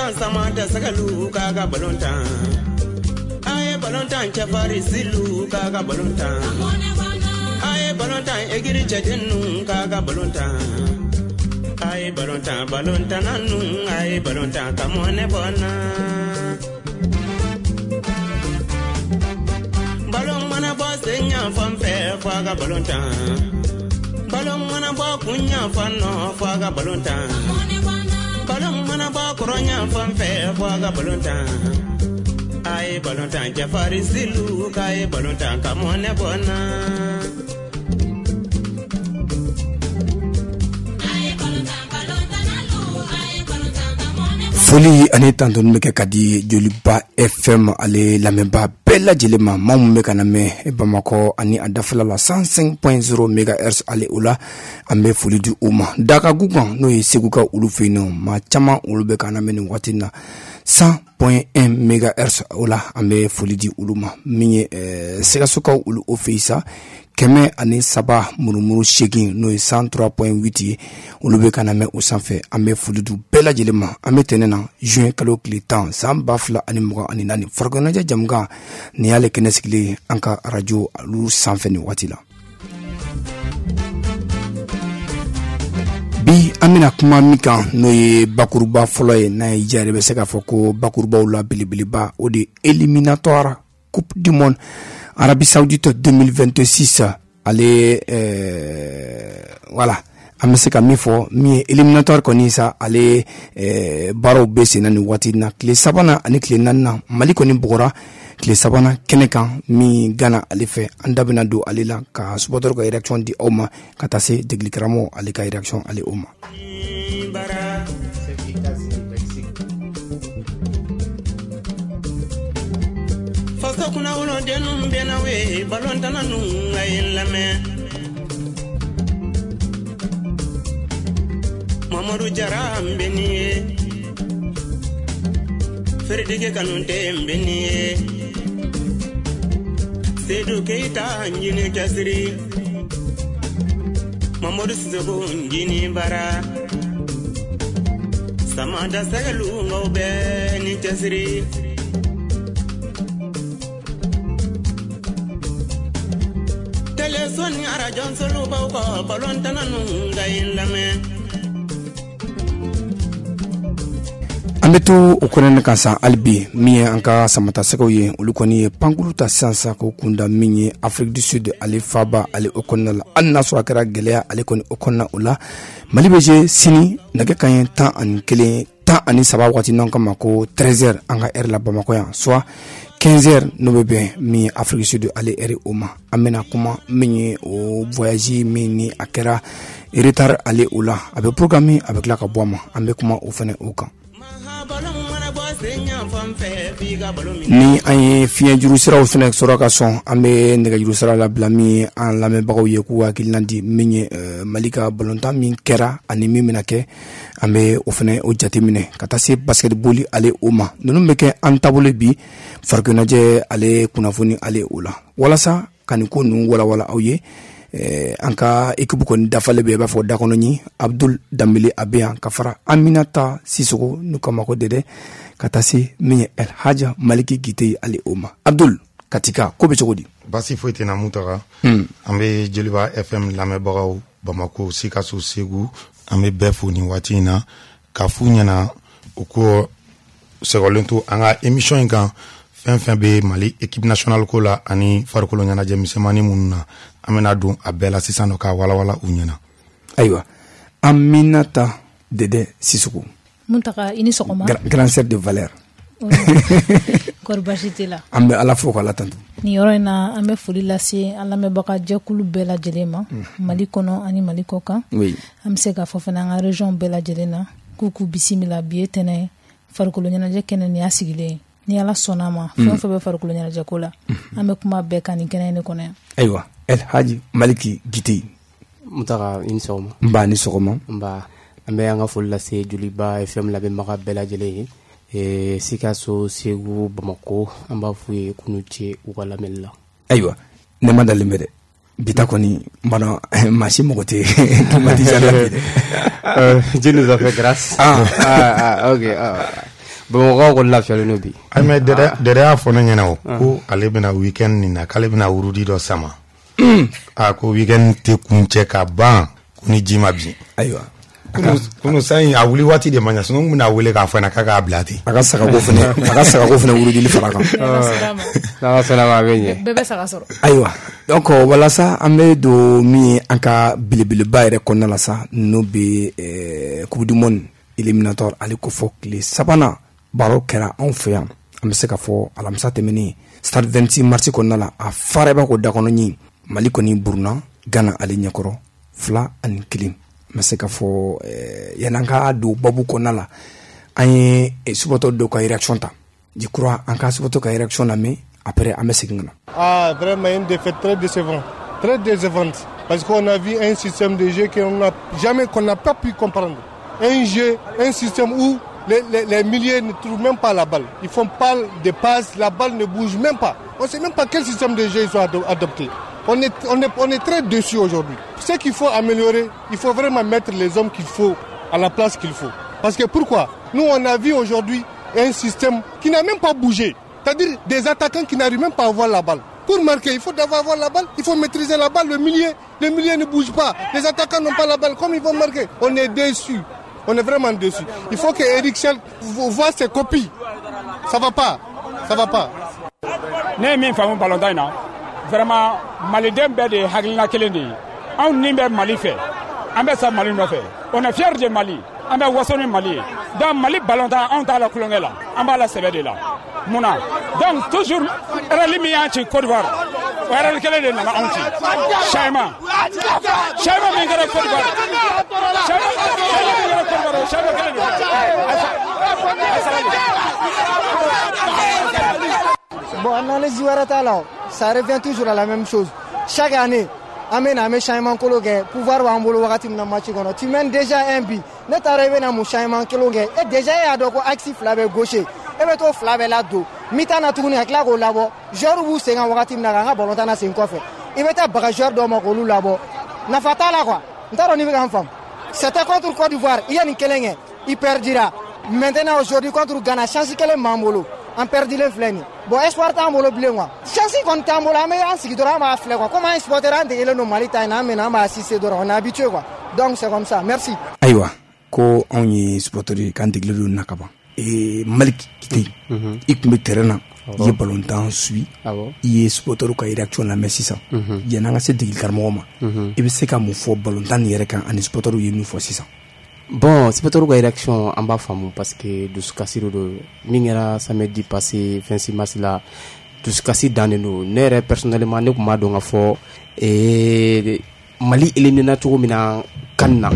tan sama tɛ sɛgɛlu k'a ka balon tan. A ye balon tan cɛfarin silu k'a ka balon tan. A ye balon tan egiri cɛdennu k'a ka balon tan. A ye balon tan balon tanna nu a ye balon tan ka mɔnɛ bɔ n na. Balon mana bɔ sen ɲanfan fɛ fo a ka balon tan. Balon mana bɔ kun ɲanfan nɔ fo a ka balon tan. Balon mana bɔ kɔrɔ ɲanfan fɛ fo a ka balon tan. A ye balon tan cɛfarin silu k'a ye balon tan ka mɔnɛ bɔ n na. Foli ani tantoni bɛ kɛ ka di Joliba FM ale lamɛnbaa bɛɛ lajɛlen ma, maa min bɛ ka na mɛn Bamakɔ ani a dafɛla la 105.0 megahertz ale o la, an bɛ foli di u ma. Dakagu kan n'o ye Segu ka olu fɛ yen nɔ, maa caman olu bɛ ka na mɛn nin waati in na 100.1 megahertz o la, an bɛ foli di olu ma. Min ye Sikasokaw olu o fɛ yen sa, 103.8 n'o ye 103.8 ye, olu bɛ ka na mɛn o sanfɛ. An bɛ foli di bɛɛ lajɛlen ma. An bɛ tɛnɛn na juin kalo tile 10 san 2024, farikolo ɲɛnajɛ jamukan nin y'ale kɛnɛ sigilen ye an ka arajo olu sanfɛ nin waati la. Bi an bɛna kuma min kan n'o ye bakuruba fɔlɔ ye, n'a ye diya yɛrɛ bɛ se k'a fɔ ko bakurubaw la belebeleba, o de ye éliminatoire Coupe du Monde Arabie Saoudite 2026 ale voilà, an bɛ se ka min fɔ min ye éliminatoire kɔni sa, ale baaraw bɛ sen na nin waati in na. Tile sabanan ani tile naaninan, Mali kɔni bugɔra tile sabanan kɛnɛ kan min Gana ale fɛ. An da bɛna don ale la ka supporter ka réaction di aw ma, ka taa se degeli karamɔgɔ ale ka réaction ale o ma. Faso kunnawolodennu bɛ na we, balontanna nu a ye n lamɛn. Mamadu Jara n bɛ nin ye, Feredeke Kanute n bɛ nin ye, Sedu Keyita n jini cɛsiri, Mamadu Sisoko n jini bara, Samata Sɛgɛlu n bɛɛ ni cɛsiri. Teleso ni arajo baw kɔ balontanna nu ka ye n lamɛn. An bɛ to o kɔnɔna kan sa hali bi, min ye an ka samatasɛgɛw ye, olu kɔni ye pankulu ta sisan sa k'o kunda min ye Afrique du Sud ale faaba ale o kɔnɔna la. Hali n'a sɔrɔ a kɛra gɛlɛya ale kɔni o kɔnɔna o la, Mali bɛ jouer sini nɛgɛ kanɲɛ 11 13 waati n'an kama ko 13h an ka heure la Bamakɔ yan, soit 15h n'o bɛ bɛn min ye Afrique du Sud ale heure o ma. An bɛna kuma min ye o voyage min ni a kɛra retard ale o la, a bɛ programme a bɛ tila ka bɔ a ma, an bɛ kuma o fɛnɛ o kan. Ni an ye fiɲɛjuru siraw fɛnɛ sɔrɔ ka sɔn, an bɛ nɛgɛjuru sira labila min ye an lamɛnbagaw ye k'u hakilina di min ye Mali ka balontan min kɛra ani min bɛna kɛ, an bɛ o fɛnɛ o jateminɛ ka taa se basketball ale o ma. Ninnu bɛ kɛ an taabolo bi farikolo ɲɛnajɛ ale kunnafoni ale o la, walasa ka nin ko ninnu walawala aw ye. An ka équipe kɔni dafalen bɛ, i b'a fɔ dakɔnɔɲi Abdul Danbele a bɛ yan, ka fara Aminata Sisoko n'u k'a ma ko Dɛdɛ, ka taa se min ye El Hadja Maliki Gite ale o ma. Abdul Katika, ko bɛ cogo di? Basi foyi tɛ na Mutaga. An bɛ Joliba FM lamɛnbagaw Bamako, Sikaso, Segu, an bɛ bɛɛ fo nin waati in na k'a f'u ɲɛna u ko sɛgɛlen to an ka émission in kan, fɛn fɛn bɛ Mali équipe nationale ko la ani farikolo ɲɛnajɛ misɛnmanin minnu na, an bɛna don a bɛɛ la sisan nɔ k'a walawala u ɲɛna. Ayiwa, Aminata Dɛdɛ Sisoko. Mutaga, i ni sɔgɔma. Grand sœur de valeur. Kɔri baasi t'i la? An bɛ Ala fo k'Ala tanto. Nin yɔrɔ in na, an bɛ foli lase an lamɛnbaga jɛkulu bɛɛ lajɛlen ma, Mali kɔnɔ ani Mali kɔ kan. An bɛ se k'a fɔ fana an ka région bɛɛ lajɛlen na k'u k'u bisimila. Bi ye tɛnɛ ye, farikolo ɲɛnajɛ kɛnɛ nin y'a sigilen ye. Ni Ala sɔnna a ma, fɛn o fɛn bɛ farikolo ɲɛnajɛ ko la, an bɛ kuma bɛɛ kan nin kɛnɛ in de kɔnɔ yan. Ayiwa, El Hadji Maliki Gite. Mutaga, i ni sɔgɔma. N ba, ni sɔgɔma. N ba, an bɛ an ka foli lase Joliba FM lamɛnbaga bɛɛ lajɛlen ye. Sikaso, Segu, Bamako, an b'a f'u ye k'u ni ce u ka lamɛnni la. Ayiwa, ne ma dalen bɛ dɛ. Bi ta kɔni, n b'a dɔn maa si mago tɛ climatiseur la bi dɛ. Dieu nous a fait grâce. Ah, ah, ok. Ah. Bamakɔkaw kɔni lafiyalen don bi. Ayi, mais Dɛdɛ y'a fɔ ne ɲɛna o, ko ale bɛna week-end nin na, k'ale bɛna wurudi dɔ sama. A ko week-end tɛ kuncɛ ka ban ko ni ji ma bin. Ayiwa. Kunu san in a wuli waati de ma ɲɛ, sinon n bɛna wele k'a fɔ ɲɛna k'a k'a bila ten. A ka sagako fɛnɛ, a ka sagako fɛnɛ wurudili fara kan. N'Ala sɔnna ma, a bɛ ɲɛ. Bɛɛ bɛ saga sɔrɔ. Ayiwa, donc walasa an bɛ don min ye an ka belebeleba yɛrɛ kɔnɔna la sa, n'o bɛ Coupe du monde éliminatoire, ale ko fɔ tile sabanan baro kɛra anw fɛ yan. An bɛ se ka fɔ alamisa tɛmɛnen stade 26 mars kɔnɔna la, a fara i b'a ko dakɔnɔ ɲin, Mali kɔni buruna Ghana ale ɲɛkɔrɔ 2-1. An bɛ se ka fɔ yan'an ka don babu kɔnɔna la, an ye supporter dɔw ka réaction ta. Je crois an ka supporter ka réaction lamɛn, après an bɛ segin ka na. Ah, vraiment une défaite très décevante, très décevante, parce qu'on a vu un système de jeu qu'on n'a jamais, qu'on n'a pas pu comprendre. Un jeu, un système où les milieux ne trouvent même pas la balle. Ils font pas de passes, la balle ne bouge même pas. On sait même pas quel système de jeu ils ont adopté. On est très déçus aujourd'hui. Ce qu'il faut améliorer, il faut vraiment mettre les hommes qu'il faut à la place qu'il faut. Parce que pourquoi? Nous, on a vu aujourd'hui un système qui n'a même pas bougé. C'est-à-dire des attaquants qui n'arrivent même pas à avoir la balle. Pour marquer, il faut d'abord avoir la balle, il faut maîtriser la balle. Le milieu ne bouge pas. Les attaquants n'ont pas la balle. Comme ils vont marquer? On est déçus. On est vraiment déçus. Il faut que Eric Chelle voit ses copies. Ça va pas. Ça va pas. Ne ye min faamu balontan in na, vraiment maliden bɛɛ de ye hakilina kelen de ye. Anw ni bɛ Mali fɛ, an bɛ sa Mali nɔfɛ. On est fier de Mali, an bɛ waso ni Mali ye. Donc Mali balontan, anw t'a la kulonkɛ la, an b'a la sɛbɛ de la. Mun na? Donc toujours erreur min y'an ci Côte d'Ivoire, o erreur kelen de nana anw ci. Changement min kɛra Côte d'Ivoire, changement min kɛra Côte d'Ivoire, o changement kelen de. A sabali. Bon, analyse wɛrɛ t'a la, ça revient toujours à la même chose. Chaque année, an bɛ na, an bɛ changement kolo kɛ, pouvoir b'an bolo wagati min na match kɔnɔ. Tu mènes déjà un but. Ne taara i bɛ na mun changement kelen kɛ? E déjà e y'a dɔn ko axe fila bɛ gauche. E bɛ t'o fila bɛɛ ladon. Mi-temps na tuguni ka tila k'o labɔ. Joueur b'u sen kan wagati min na k'an ka ballon na sen kɔfɛ. I bɛ taa baga joueur dɔw ma k'olu labɔ. Nafa t'a la quoi. N t'a dɔn n'i bɛ ka n faamu. C'était contre Côte d'Ivoire, i ye nin kelen kɛ, i perdira. Maintenant aujourd'hui contre Ghana, chance kelen b'an bolo. An perdilen filɛ nin ye. Bon, espoir t'an bolo bilen quoi. Chance kɔni t'an bolo, an bɛ an sigi dɔrɔn, an b'a filɛ quoi. Comme an ye supporter, an degelen don Mali ta in na, an bɛ na, an b'a assister dɔrɔn, on est habitué quoi. Donc c'est comme ça, merci. Ayiwa, ko anw ye supporter ye, k'an degelen don na ka ban. Malik Kite, i tun bɛ terrain na, i ye ballon suit, i ye supporter ka réaction lamɛn sisan. Yanni an ka se degeli karamɔgɔ ma, i bɛ se ka mun fɔ ballon nin yɛrɛ kan ani supporter ye min fɔ sisan? Bon, supporter ka réaction, an b'a faamu parce que dusukasi de don. Min kɛra samedi passé 26 mars la, dusukasi dan de don. Ne yɛrɛ personnellement, ne tun b'a dɔn ka fɔ Mali éliminé cogo min na CAN na,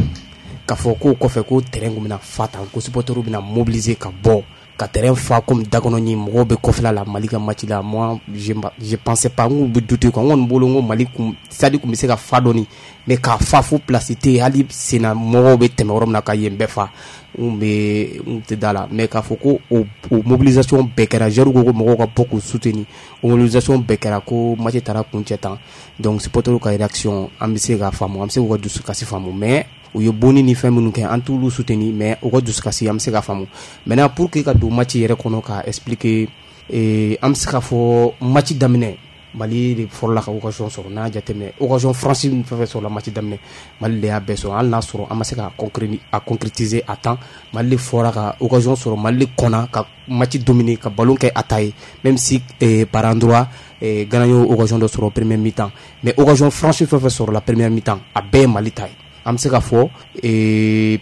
k'a fɔ k'o kɔfɛ ko terrain kun bɛna fa tan, ko supporter bɛna mobiliser ka bɔ ka terrain fa comme dakɔnɔ ɲin, mɔgɔw bɛ kɔfɛla la Mali ka match la. Moi, je pensais pas, n k'u bɛ douter quoi. N kɔni bolo n ko Mali kun stade kun bɛ se ka fa dɔɔni, mais k'a fa fo place tɛ yen, hali senna mɔgɔw bɛ tɛmɛ yɔrɔ min na ka yen bɛɛ fa, n bɛ n tɛ da la. Mais k'a fɔ ko o mobilisation bɛɛ kɛra, joueurs ko ko mɔgɔw ka bɔ k'u soutenir, o mobilisation bɛɛ kɛra, ko match taara kuncɛ tan. Donc supporters ka réaction, an bɛ se k'a faamu, an bɛ se k'u ka dusukasi faamu, mais u ye bonni ni fɛn minnu kɛ, an t'olu soutenir, mais u ka dusukasi, an bɛ se k'a faamu. Maintenant, pour que ka don match yɛrɛ kɔnɔ ka expliquer, an bɛ se k'a fɔ match daminɛ, Mali de fɔlɔla ka occasion sɔrɔ. N'a jateminɛ, occasion franche min fɛn fɛn sɔrɔla match daminɛ, Mali de y'a bɛɛ sɔrɔ. Hali n'a sɔrɔ an ma se ka a concrétiser à temps, Mali de fɔra ka occasion sɔrɔ, Mali de kɔnna ka match dominer, ka ballon kɛ a ta ye, même si par endroit Ghana y'o occasion dɔ sɔrɔ première mi-temps, mais occasion franche fɛn fɛn sɔrɔla première mi-temps, a bɛɛ ye Mali ta ye. An bɛ se k'a fɔ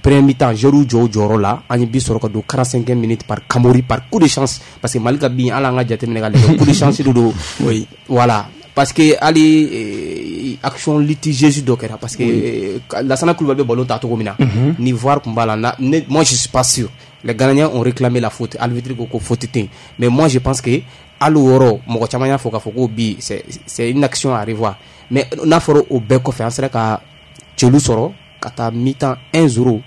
première mi-temps, joueurs jɔ u jɔyɔrɔ la, an ye but sɔrɔ ka don 45e minute par Kamori, par coup de chance, parce que Mali ka bin, hali an ka jateminɛ ka lajɛ, coup de chance de don. Oui. Voilà, parce que hali action litigieuse dɔ kɛra, parce que Lassana Coulibaly bɛ ballon ta cogo min na, ni VAR tun b'a la, moi je suis pas sûr. Les Ghanéens ont réclamé la faute, arbitre ko ko faute tɛ yen, mais moi je pense que hali o yɔrɔ, mɔgɔ caman y'a fɔ k'a fɔ ko bi c'est une action à revoir. Mais n'a fɔra o bɛɛ kɔfɛ, an sera ka celu sɔrɔ ka taa mi-temps 1-0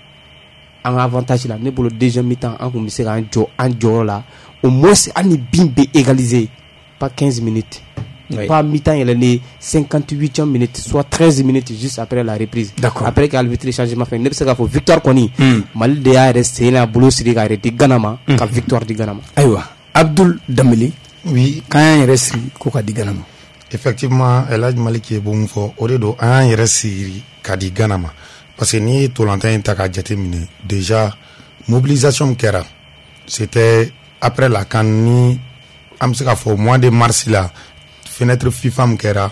an ka avantage la. Ne bolo deuxième mi-temps, an kun bɛ se k'an jɔ an jɔyɔrɔ la, au moins hali ni bin bɛ égaliser, pas 15 minutes. Pas mi-temps yɛlɛlen 58e minute, soit 13 minutes juste après la reprise. D'accord. Après qu'arbitre changement fait, ne bɛ se k'a fɔ victoire kɔni, Mali de y'a yɛrɛ sen n'a bolo siri k'a yɛrɛ di Ghana ma, ka victoire di Ghana ma. Ayiwa, Abdul Danbele. Oui. K'an y'an yɛrɛ siri ko ka di Ghana ma. Effectivement, El Hadj Malick ye mun fɔ, o de don, an y'an yɛrɛ siri ka di Ghana ma. Parce que n'i ye tolantan in ta k'a jateminɛ, déjà mobilisation min kɛra, c'était après la CAN, ni an bɛ se k'a fɔ mois de mars la, fenêtre FIFA min kɛra,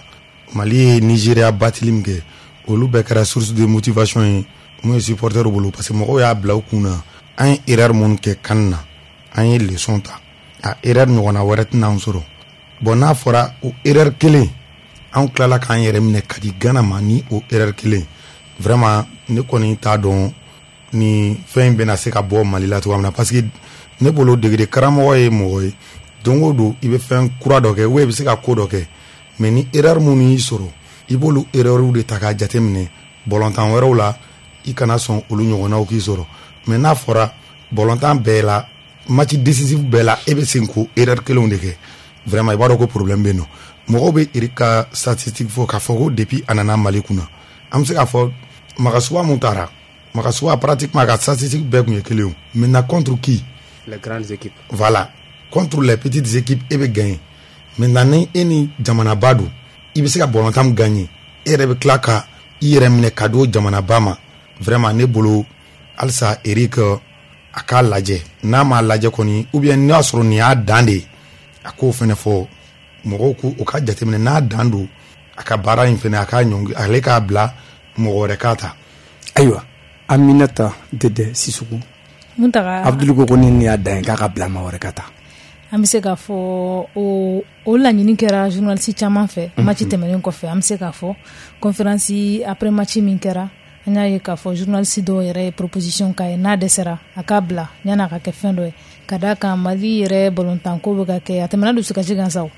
Mali ye Nigeria batili min kɛ, olu bɛɛ kɛra source de motivation ye mun ye supporter bolo, parce que mɔgɔw y'a bila u kun na, an ye erreur mun kɛ CAN na, an ye leçon ta, a erreur ɲɔgɔnna wɛrɛ tɛna an sɔrɔ. Bon, n'a fɔra o erreur kelen, anw tilala k'an yɛrɛ minɛ ka di Ghana ma ni o erreur kelen, vraiment ne kɔni t'a dɔn ni fɛn in bɛna se ka bɔ Mali la cogoya min na, parce que ne bolo degede karamɔgɔ ye mɔgɔ ye, don o don i bɛ fɛn kura dɔ kɛ ou i bɛ se ka ko dɔ kɛ, mais ni erreur minnu y'i sɔrɔ, i b'olu erreur de ta k'a jateminɛ bɔlɔntan wɛrɛw la, i kana sɔn olu ɲɔgɔnnaw k'i sɔrɔ. Mais n'a fɔra bɔlɔntan bɛɛ la, match décisif bɛɛ la, e bɛ segin k'o erreur kelenw de kɛ, vraiment i b'a dɔn ko problème bɛ yen nɔ. Mɔgɔw bɛ Eric ka statistique fɔ k'a fɔ ko depuis a nana Mali kunna, an bɛ se k'a fɔ Magasuba mun taara, Magasuba pratiquement a ka statistique bɛɛ tun ye kelen ye. Maintenant contre qui? Les grandes équipes. Voilà, contre les petites équipes e bɛ gagner. Maintenant ni e ni jamanaba don, i bɛ se ka ballontan min gagner, e yɛrɛ bɛ tila ka i yɛrɛ minɛ ka di o jamanaba ma. Vraiment ne bolo halisa Eric a k'a lajɛ, n'a m'a lajɛ kɔni, ou bien n'a sɔrɔ nin y'a dan de ye, a k'o fɛnɛ fɔ mɔgɔw k'u o ka jateminɛ, n'a dan don a ka baara in fɛnɛ, a k'a ɲɔngi, ale k'a bila mɔgɔ wɛrɛ k'a ta. Ayiwa, Aminata Dede Sissoko. Muntaga. Abdul ko ko ni y'a dan ye k'a ka bila maa wɛrɛ ka ta. An bɛ se k'a fɔ o laɲini kɛra journaliste caman fɛ match tɛmɛnen kɔfɛ. An bɛ se k'a fɔ conférence après match min kɛra, an y'a ye k'a fɔ journaliste dɔw yɛrɛ ye proposition k'a ye, n'a dɛsɛra a k'a bila yan'a ka kɛ fɛn dɔ ye, ka d'a kan Mali yɛrɛ balontanko bɛ ka kɛ a tɛmɛna dusukasi kan sa o,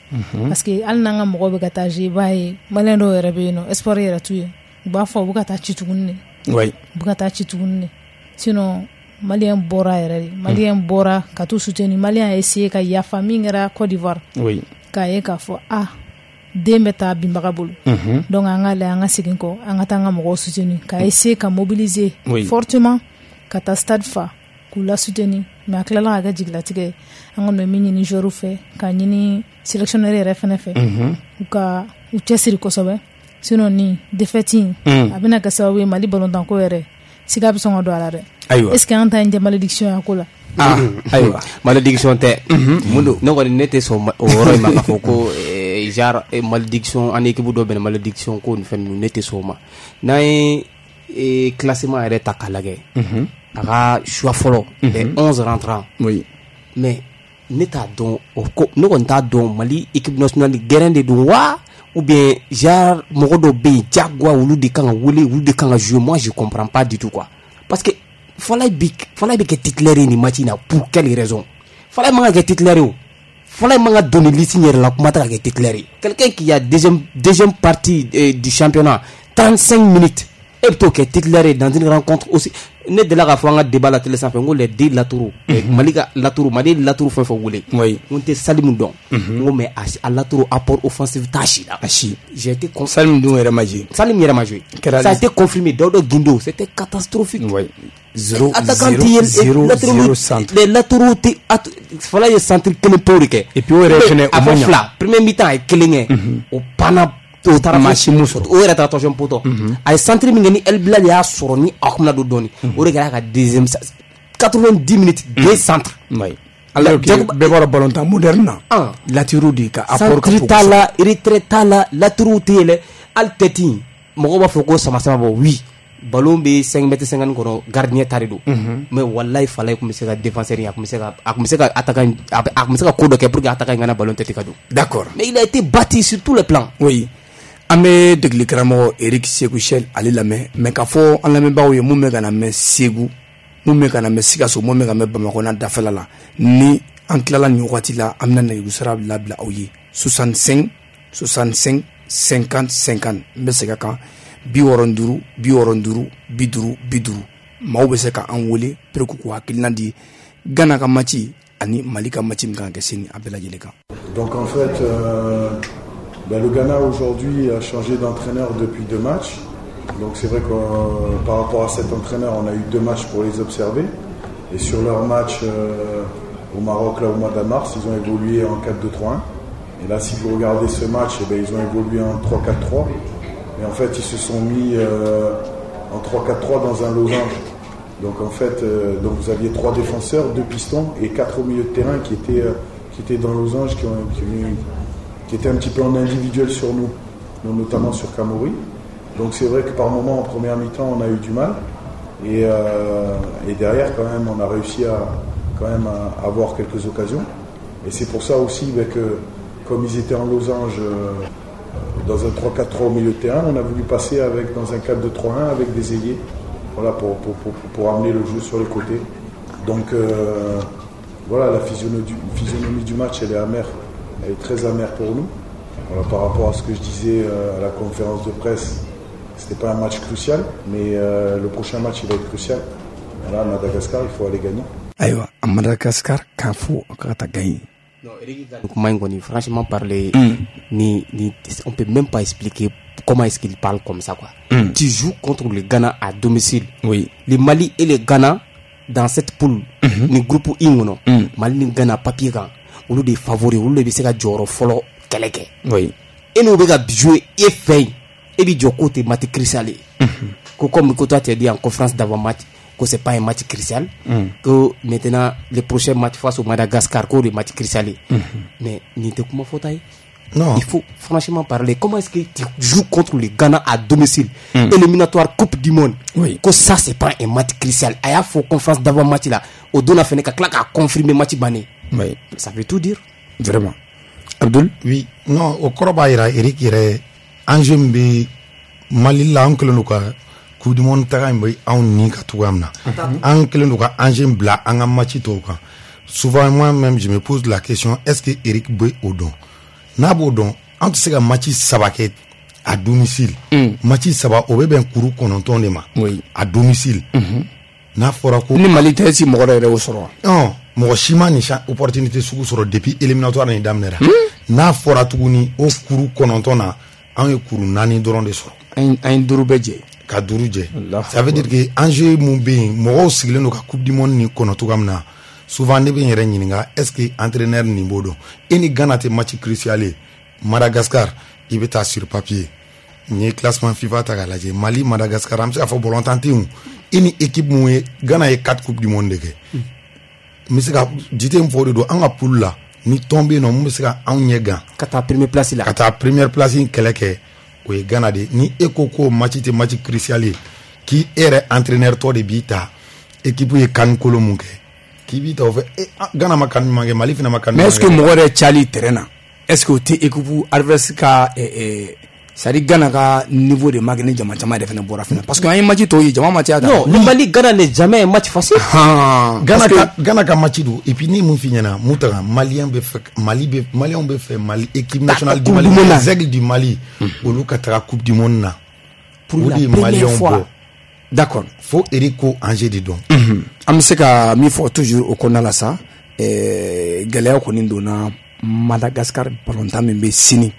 parce que hali n'an ka mɔgɔw bɛ ka taa jouer, i b'a ye malien dɔw yɛrɛ bɛ yen nɔ, espoir yɛrɛ t'u ye, u b'a fɔ u bɛ ka taa ci tuguni de. Oui. U bɛ ka taa ci tuguni de, sinon malien bɔra yɛrɛ de, malien bɔra ka t'u soutenir, malien a essayé ka yafa min kɛra Côte d'Ivoire. Oui. K'a ye k'a fɔ ah den bɛ taa binbaga bolo. Donc an ka lajɛ, an ka segin kɔ, an ka taa an ka mɔgɔw soutenir, ka essayer ka mobiliser fortement ka taa stade fa k'u la soutenir, mais a tilala ka kɛ jigilatigɛ ye. An kɔni bɛ min ɲini joueur fɛ, ka ɲini sélectionneur yɛrɛ fɛnɛ fɛ, u ka u cɛsiri kosɛbɛ, sinon ni défaite in a bɛna kɛ sababu ye Mali balontanko yɛrɛ siga bɛ sɔn ka don a la dɛ. Ayiwa. Est-ce que an ta in tɛ malédiction ye a ko la? Ah, ayiwa. Malédiction tɛ. Mun don? Ne kɔni ne tɛ sɔn o yɔrɔ in ma k'a fɔ ko genre malédiction, an équipe dɔ bɛnna malédiction ko ni fɛn ninnu, ne tɛ sɔn o ma. N'an ye classement yɛrɛ ta k'a lajɛ, a ka choix fɔlɔ, les 11 rentrants. Oui. Mais ne t'a dɔn o ko, ne kɔni t'a dɔn Mali équipe nationale gɛrɛn de don wa, ou bien genre mɔgɔ dɔw bɛ yen diyagoya olu de kan ka wele, olu de kan ka jouer, moi je comprends pas du tout quoi. Parce que Falaye bɛ kɛ titulaire ye nin match in na, pour quelle raison? Falaye man ka kɛ titulaire ye o. Falaye man ka don nin liste in yɛrɛ la, kuma tɛ ka kɛ titulaire ye. Quelqu'un qui a deuxième partie du championnat, 35 minutes, e bɛ t'o kɛ titulaire ye dans une rencontre aussi. Ne delila k'a fɔ an ka débat la télé sanfɛ, n ko les deux latéraux, Mali ka latéraux, Mali latéraux fɛn fɛn wele. Oui. N ko n tɛ Salim dɔn. N ko mais a latéraux apport offensif t'a si la. A si. J'ai été Salim dun yɛrɛ ma joué. Salim yɛrɛ ma joué. Ça a été confirmé. Daouda Guindo, c'était catastrophique. Oui. 0 attaquant 0 0 0 centre. Les latéraux tɛ, Falaye ye centre kelen pewu de kɛ. Et puis o yɛrɛ fɛnɛ o ma a fɔ ɲa. fila, premier mi-temps a ye kelen kɛ. O panna, o taara maa si m'o sɔrɔ. O yɛrɛ taara troisième poteau. A ye centre min kɛ ni El Bilal y'a sɔrɔ ni a kun bɛna don dɔɔni. O de kɛra a ka deuxième 90 minutes, deux centres. Oui. Alors que bɛɛ b'a dɔn ballontan moderne na. Latéraux de ka apport ka centre bon t'a kosɛbɛ. la, retrait t'a la, latéraux tɛ yɛlɛ, hali tête in mɔgɔw b'a fɔ ko sama sama bɔ, oui. Ballon bɛ 5 mètres 50 kɔnɔ, gardien ta de don. Mais wallahi Falaye tun bɛ se ka défenseur in, a tun bɛ se ka, a tun bɛ se ka attaquant, a tun bɛ se ka ko dɔ kɛ pour que attaquant in kana ballon tête ka don. D'accord. Mais il a été battu sur tous les plans. Oui. An bɛ degeli karamɔgɔ Eric Sekou Chelle ale lamɛn, mais k'a fɔ an lamɛnbagaw ye mun bɛ ka na mɛn Segu, mun bɛ ka na mɛn Sikaso, mun bɛ ka mɛn Bamakɔ n'a dafɛla la, ni an tilala nin wagati la, an bɛna nɛgɛjuru sira labila aw ye 65 65 50 50. N bɛ segin a kan, 65 65 50 50. Maaw bɛ se ka an wele pour que k'u hakilina di Ghana ka match ani Mali ka match min kan ka kɛ sini, a bɛɛ lajɛlen kan. Donc en fait, Ben, le Ghana aujourd'hui a changé d'entraîneur depuis 2 matchs. Donc c'est vrai que par rapport à cet entraîneur, on a eu 2 matchs pour les observer. Et sur leur match au Maroc, là, au mois de mars, ils ont évolué en 4-2-3-1. Et là, si vous regardez ce match, eh ben, ils ont évolué en 3-4-3. Et en fait, ils se sont mis en 3-4-3 dans un losange. Donc en fait, donc vous aviez 3 défenseurs, 2 pistons et 4 au milieu de terrain qui étaient dans le losange, qui étaient un petit peu en individuel sur nous, notamment sur Kamori. Donc c'est vrai que par moment, en première mi-temps, on a eu du mal. Et derrière, quand même, on a réussi à, quand même à avoir quelques occasions. Et c'est pour ça aussi que, comme ils étaient en losange dans un 3-4-3 au milieu de terrain, on a voulu passer dans un 4-2-3-1 avec des ailiers, voilà, pour amener le jeu sur les côtés. Donc voilà, la physionomie du match, elle est amère, elle est très amère pour nous. Voilà, par rapport à ce que je disais à la conférence de presse, c'était pas un match crucial, mais le prochain match, il va être crucial. Voilà, Madagascar, il faut aller gagner. Ayiwa, à Madagascar, k'a fɔ k'a ka gagner. Non, franchement parler, on peut même pas expliquer comment est-ce qu'il parle comme ça, quoi. Tu joues contre le Ghana à domicile. Oui. Le Mali et le Ghana dans cette poule, ni groupe ingono. Mali ni Ghana papier kan, olu de favori, olu de bɛ se ka jɔyɔrɔ fɔlɔ kɛlɛ kɛ. Oui. Et nous bɛ ka jouer e fɛ yen, e b'i jɔ k'o tɛ match crucial ye. Ko comme ko toi tu as dit en conférence d'avant-match que c'est pas un match crucial, que maintenant le prochain match face au Madagascar, que le match crucial. Mais ni tɛ kuma fɔta ye. Non. Il faut franchement parler. Comment est-ce que tu joues contre le Ghana à domicile, éliminatoire Coupe du Monde, oui. Que ça c'est pas un match crucial. A y'a fɔ conférence d'avant-match là, au don a fɛnɛ ka tila k'a confirmer match banné. Oui. Ça veut tout dire. Vraiment. Abdul? Oui. Non, o kɔrɔ b'a yira Eric yɛrɛ enjeu min bɛ Mali la, an kɛlen don ka Coupe du Monde taga in bɛ anw ni ka cogoya min na, an kɛlen don ka enjeu in bila an ka match tɔw kan. Souvent moi-même je me pose la question, est-ce que Eric bɛ o dɔn? N'a b'o dɔn, an tɛ se ka match 3 kɛ à domicile. Match 3 o bɛ bɛn kuru 9 de ma. Oui. À domicile. N'a fɔra ko ni Mali tɛ si mɔgɔ dɔ yɛrɛ y'o sɔrɔ wa? Non, mɔgɔ si ma nin opportunité sugu sɔrɔ depuis éliminatoire nin daminɛra. N'a fɔra tuguni o kuru 9 na, anw ye kuru 4 dɔrɔn de sɔrɔ. An ye 5 bɛɛ jɛ. Ka 5 jɛ. Ça veut dire que enjeu mun bɛ yen, mɔgɔw sigilen don ka Coupe du Monde nin kɔnɔ cogoya min na, souvent ne bɛ n yɛrɛ ɲininka, est-ce que entraîneur nin b'o dɔn? E ni Ghana tɛ match crucial ye. Madagascar, i bɛ taa sur papier. N'i ye classement FIFA ta k'a lajɛ, Mali, Madagascar, an bɛ se k'a fɔ bɔlɔntan tɛ yen. E ni équipe mun ye, Ghana ye 4 Coupes du Monde de kɛ. N bɛ se ka jite min fɔ o de don, an ka poule la, ni tɔn bɛ yen nɔ mun bɛ se ka anw ɲɛ gan. Ka taa première place la. Ka taa première place in kɛlɛ kɛ, o ye Ghana de ye. Ni e ko k'o match tɛ match crucial ye, k'i e yɛrɛ entraîneur tɔ de b'i ta, équipe ye CAN kolo mun kɛ, k'i b'i ta o fɛ, Ghana ma CAN ɲuman kɛ, Mali fana ma CAN ɲuman kɛ. Mais est-ce que mɔgɔ yɛrɛ cayali terrain na, est-ce que o tɛ équipe adverse ka c'est à dire Ghana ka niveau de ma kɛ ni jama caman yɛrɛ fana bɔra fana, parce que an ye match tɔw ye jama ma caya. Non, le Mali Ghana n'est jamais un match facile. Ghana ka match don, et puis ni mun f'i ɲɛna, mun ta Malien bɛ fɛ, Mali bɛ, Maliens bɛ fɛ Mali équipe nationale du Mali, les Aigles du Mali, olu ka taga Coupe du Monde na. Pour la première fois. D'accord. Fo Eric ko enjeu de dɔn. An bɛ se ka min fɔ toujours o kɔnɔna la sa, gɛlɛya kɔni donna Madagascar balontan min bɛ sini.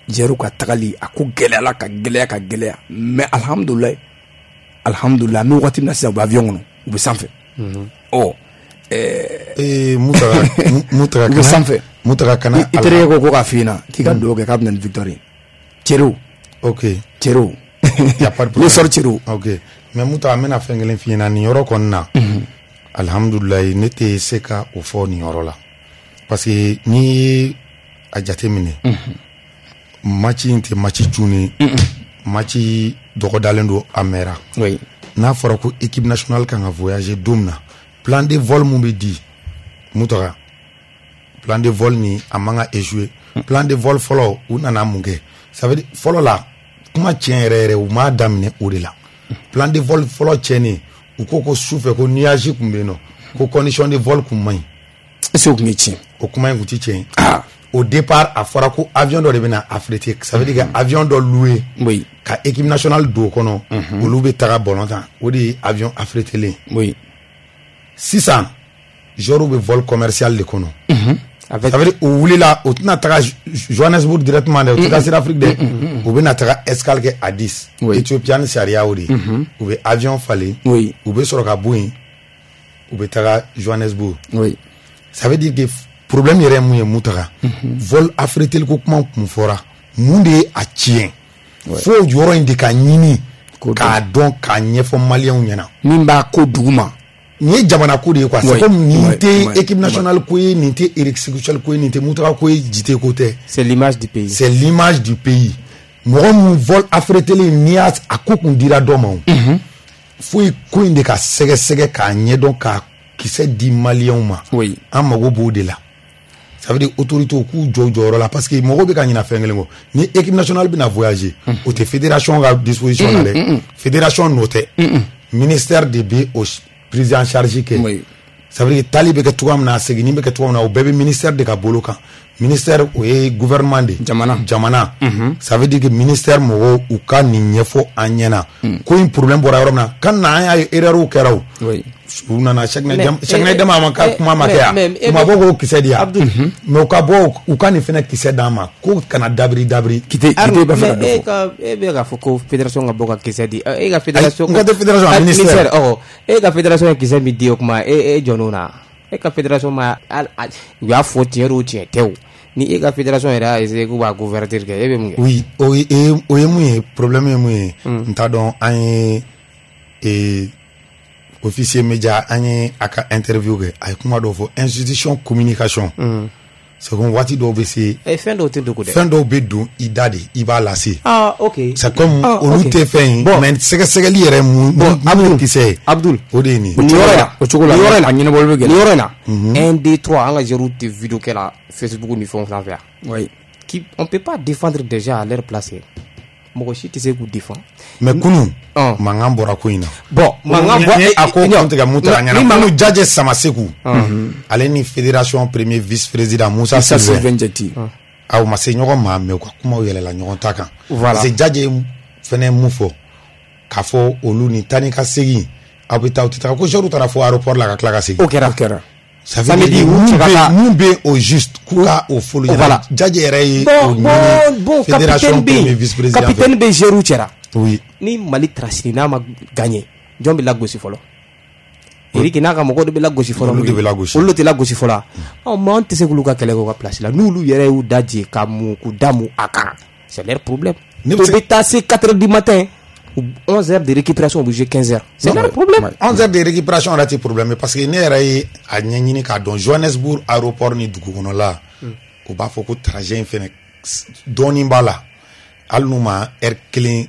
Jɛru ka tagali a ko gɛlɛyala ka gɛlɛya ka gɛlɛya, mais alhamdulilayi alhamdulilayi, an bɛ waati min na sisan u bɛ avion kɔnɔ, u bɛ sanfɛ. Ɔ Mutaga u bɛ sanfɛ. Mutaga kana i terikɛ ko k'a f'i ɲɛna k'i ka dugawu kɛ k'a bɛ na ni victoire ye. Cɛriw. Ok. Cɛriw. Y a pas de problème. Ne sɔrɔ cɛriw. Ok, mais Mutaga, n bɛna fɛn kelen f'i ɲɛna nin yɔrɔ kɔni na. Alhamdulilayi, ne tɛ se ka o fɔ nin yɔrɔ la, parce que n'i ye a jateminɛ, match in tɛ match cunnen, match dɔgɔdalen don a mɛnra. Oui. N'a fɔra ko équipe nationale kan ka voyager don min na, plan de vol mun bɛ di Mutaga, plan de vol ni a man ka échouer. Plan de vol fɔlɔ, u nana mun kɛ? Ça veut dire fɔlɔ la, kuma tiɲɛ yɛrɛ yɛrɛ, u m'a daminɛ o de la. Plan de vol fɔlɔ tiɲɛnen, u ko sufɛ ko nuage kun bɛ yen nɔ, ko condition de vol kun man ɲi. Est-ce que o kun ye tiɲɛ? O kuma in kun ti tiɲɛ. Au départ, a fɔra ko avion dɔ de bɛna affréter, ça veut dire que avion dɔ loué. Oui. Ka équipe nationale don o kɔnɔ, olu bɛ taga ballon tan, o de ye avion affrételen. Oui. Sisan, joueurs bɛ vol commercial de kɔnɔ. Ça veut dire u wulila, u tɛna taga Johannesburg directement dɛ, u tɛ taa Sud-Afrique dɛ, u bɛna taga escale kɛ Addis. Éthiopie ni sariya o de ye. U bɛ avion falen, u bɛ sɔrɔ ka bɔ yen, u bɛ taga Johannesburg. Ça veut dire que problème yɛrɛ ye mun ye Mutaga, vol affrété ko kuma kun fɔra, mun de ye a tiɲɛ? Fo yɔrɔ in de ka ɲini k'a dɔn, k'a ɲɛfɔ maliyɛnw ɲɛna. Min b'a ko duguma. Nin ye jamana ko de ye quoi. C'est comme nin tɛ équipe nationale ko ye, nin tɛ Eric Sékou Chelle ko ye, nin tɛ Mutaga ko ye, Jite ko tɛ. C'est l'image du pays. C'est l'image du pays. Mɔgɔ mun vol affrété n'i y'a a ko kun dira dɔ ma o. Fo ko in de ka sɛgɛsɛgɛ k'a ɲɛdɔn, k'a kisɛ di maliyɛnw ma. An mago b'o de la. Ça veut dire autorité k'u jɔ u jɔyɔrɔ la, parce que mɔgɔw bɛ ka ɲina fɛn kelen kɔ. Ni équipe nationale bɛna voyager, o tɛ fédération ka disposition na dɛ. Fédération nɔ tɛ. Ministère de bɛ o prise en charge kɛ. Ça veut dire tali bɛ kɛ cogoya min na, seginni bɛ kɛ cogoya min na, o bɛɛ bɛ ministère de ka bolo kan. Ministère o ye gouvernement de. Jamana. Ça veut dire que ministère mɔgɔw u ka nin ɲɛfɔ an ɲɛna. Ko in problème bɔra yɔrɔ min na, kan na an y'a ye erreur kɛra o. U nana Cheikhna Dama ma ka kuma ma kɛ yan. U ma bɔ k'o kisɛ di yan. Mais u ka bɔ u ka nin fɛnɛ kisɛ d'an ma, ko kana dabiri dabiri. Kite b'a fɛ ka dɔ fɔ. E bɛ k'a fɔ ko fédération ka bɔ ka kisɛ di. E ka fédération. N ka tɛ fédération a ministère. E ka fédération ye kisɛ min di o kuma e jɔn'o na. E ka fédération ma u y'a fɔ tiɲɛ o tiɲɛ tɛ o. Ni e ka fédération yɛrɛ y'a essayé k'u b'a couverture kɛ, e bɛ mun kɛ? Oui, o ye mun ye, problème ye mun ye. N t'a dɔn, an ye officier média, an ye a ka interview kɛ, a ye kuma dɔw fɔ institution communication. C'est comme waati dɔw bɛ se. Fɛn dɔw tɛ dogo dɛ. Fɛn dɔw bɛ don i da de, i b'a lase. Ah ok. C'est comme olu tɛ fɛn ye. Mais sɛgɛsɛgɛli yɛrɛ mun kisɛ ye. Abdul. O de ye nin ye. Nin yɔrɔ in na. O cogo la. Nin yɔrɔ in na. A ɲɛnabɔli bɛ gɛlɛya. Nin yɔrɔ in na. 1 2 3 an ka joueurs tɛ vidéo kɛ la Facebook ni fɛnw sanfɛ yan. Oui. Qui on peut pas défendre déjà à leur place. Mɔgɔ si tɛ se k'u défend. Mais kunun mankan bɔra ko in na. Bon mankan bɔ a ko kun tigɛ Mutaga ɲɛna. Kunun Jajɛ Samaseku, ale ni fédération premier vice président Moussa Sylvain Jati, aw ma se ɲɔgɔn ma, mais u ka kumaw yɛlɛla ɲɔgɔn ta kan. Voilà. Parce que Jajɛ fɛnɛ mun fɔ k'a fɔ olu ni taa ni ka segin, aw bɛ taa aw tɛ taga, ko joueurs taara fo aéroport la ka tila ka segin. O kɛra. Ça veut dire mun bɛ au juste k'u ka o fɔli ɲɛna. Jajɛ yɛrɛ ye o ɲini fédération premier vice président. Capitaine bɛ joueurs cɛra. Oui. Ni Mali trasini n'a ma gagné, jɔn bɛ lagosi fɔlɔ? Eric n'a ka mɔgɔw de bɛ lagosi fɔlɔ. Olu de bɛ lagosi. Olu tɛ lagosi fɔlɔ. Ɔ mais an tɛ se k'olu ka kɛlɛ kɛ u ka place la. N'olu yɛrɛ y'u da jɛ ka mun k'u da mun a kan, c'est leur problème. O bɛ taa se 4 heures du matin. 11 heures de récupération, obligé 15 heures. C'est leur problème. 11 heures de récupération, on a des problèmes. Parce que ne yɛrɛ ye a ɲɛɲini k'a dɔn Johannesburg aéroport ni dugu kɔnɔla, u b'a fɔ ko trajet in fɛnɛ dɔɔnin b'a la. Hali n'u ma heure kelen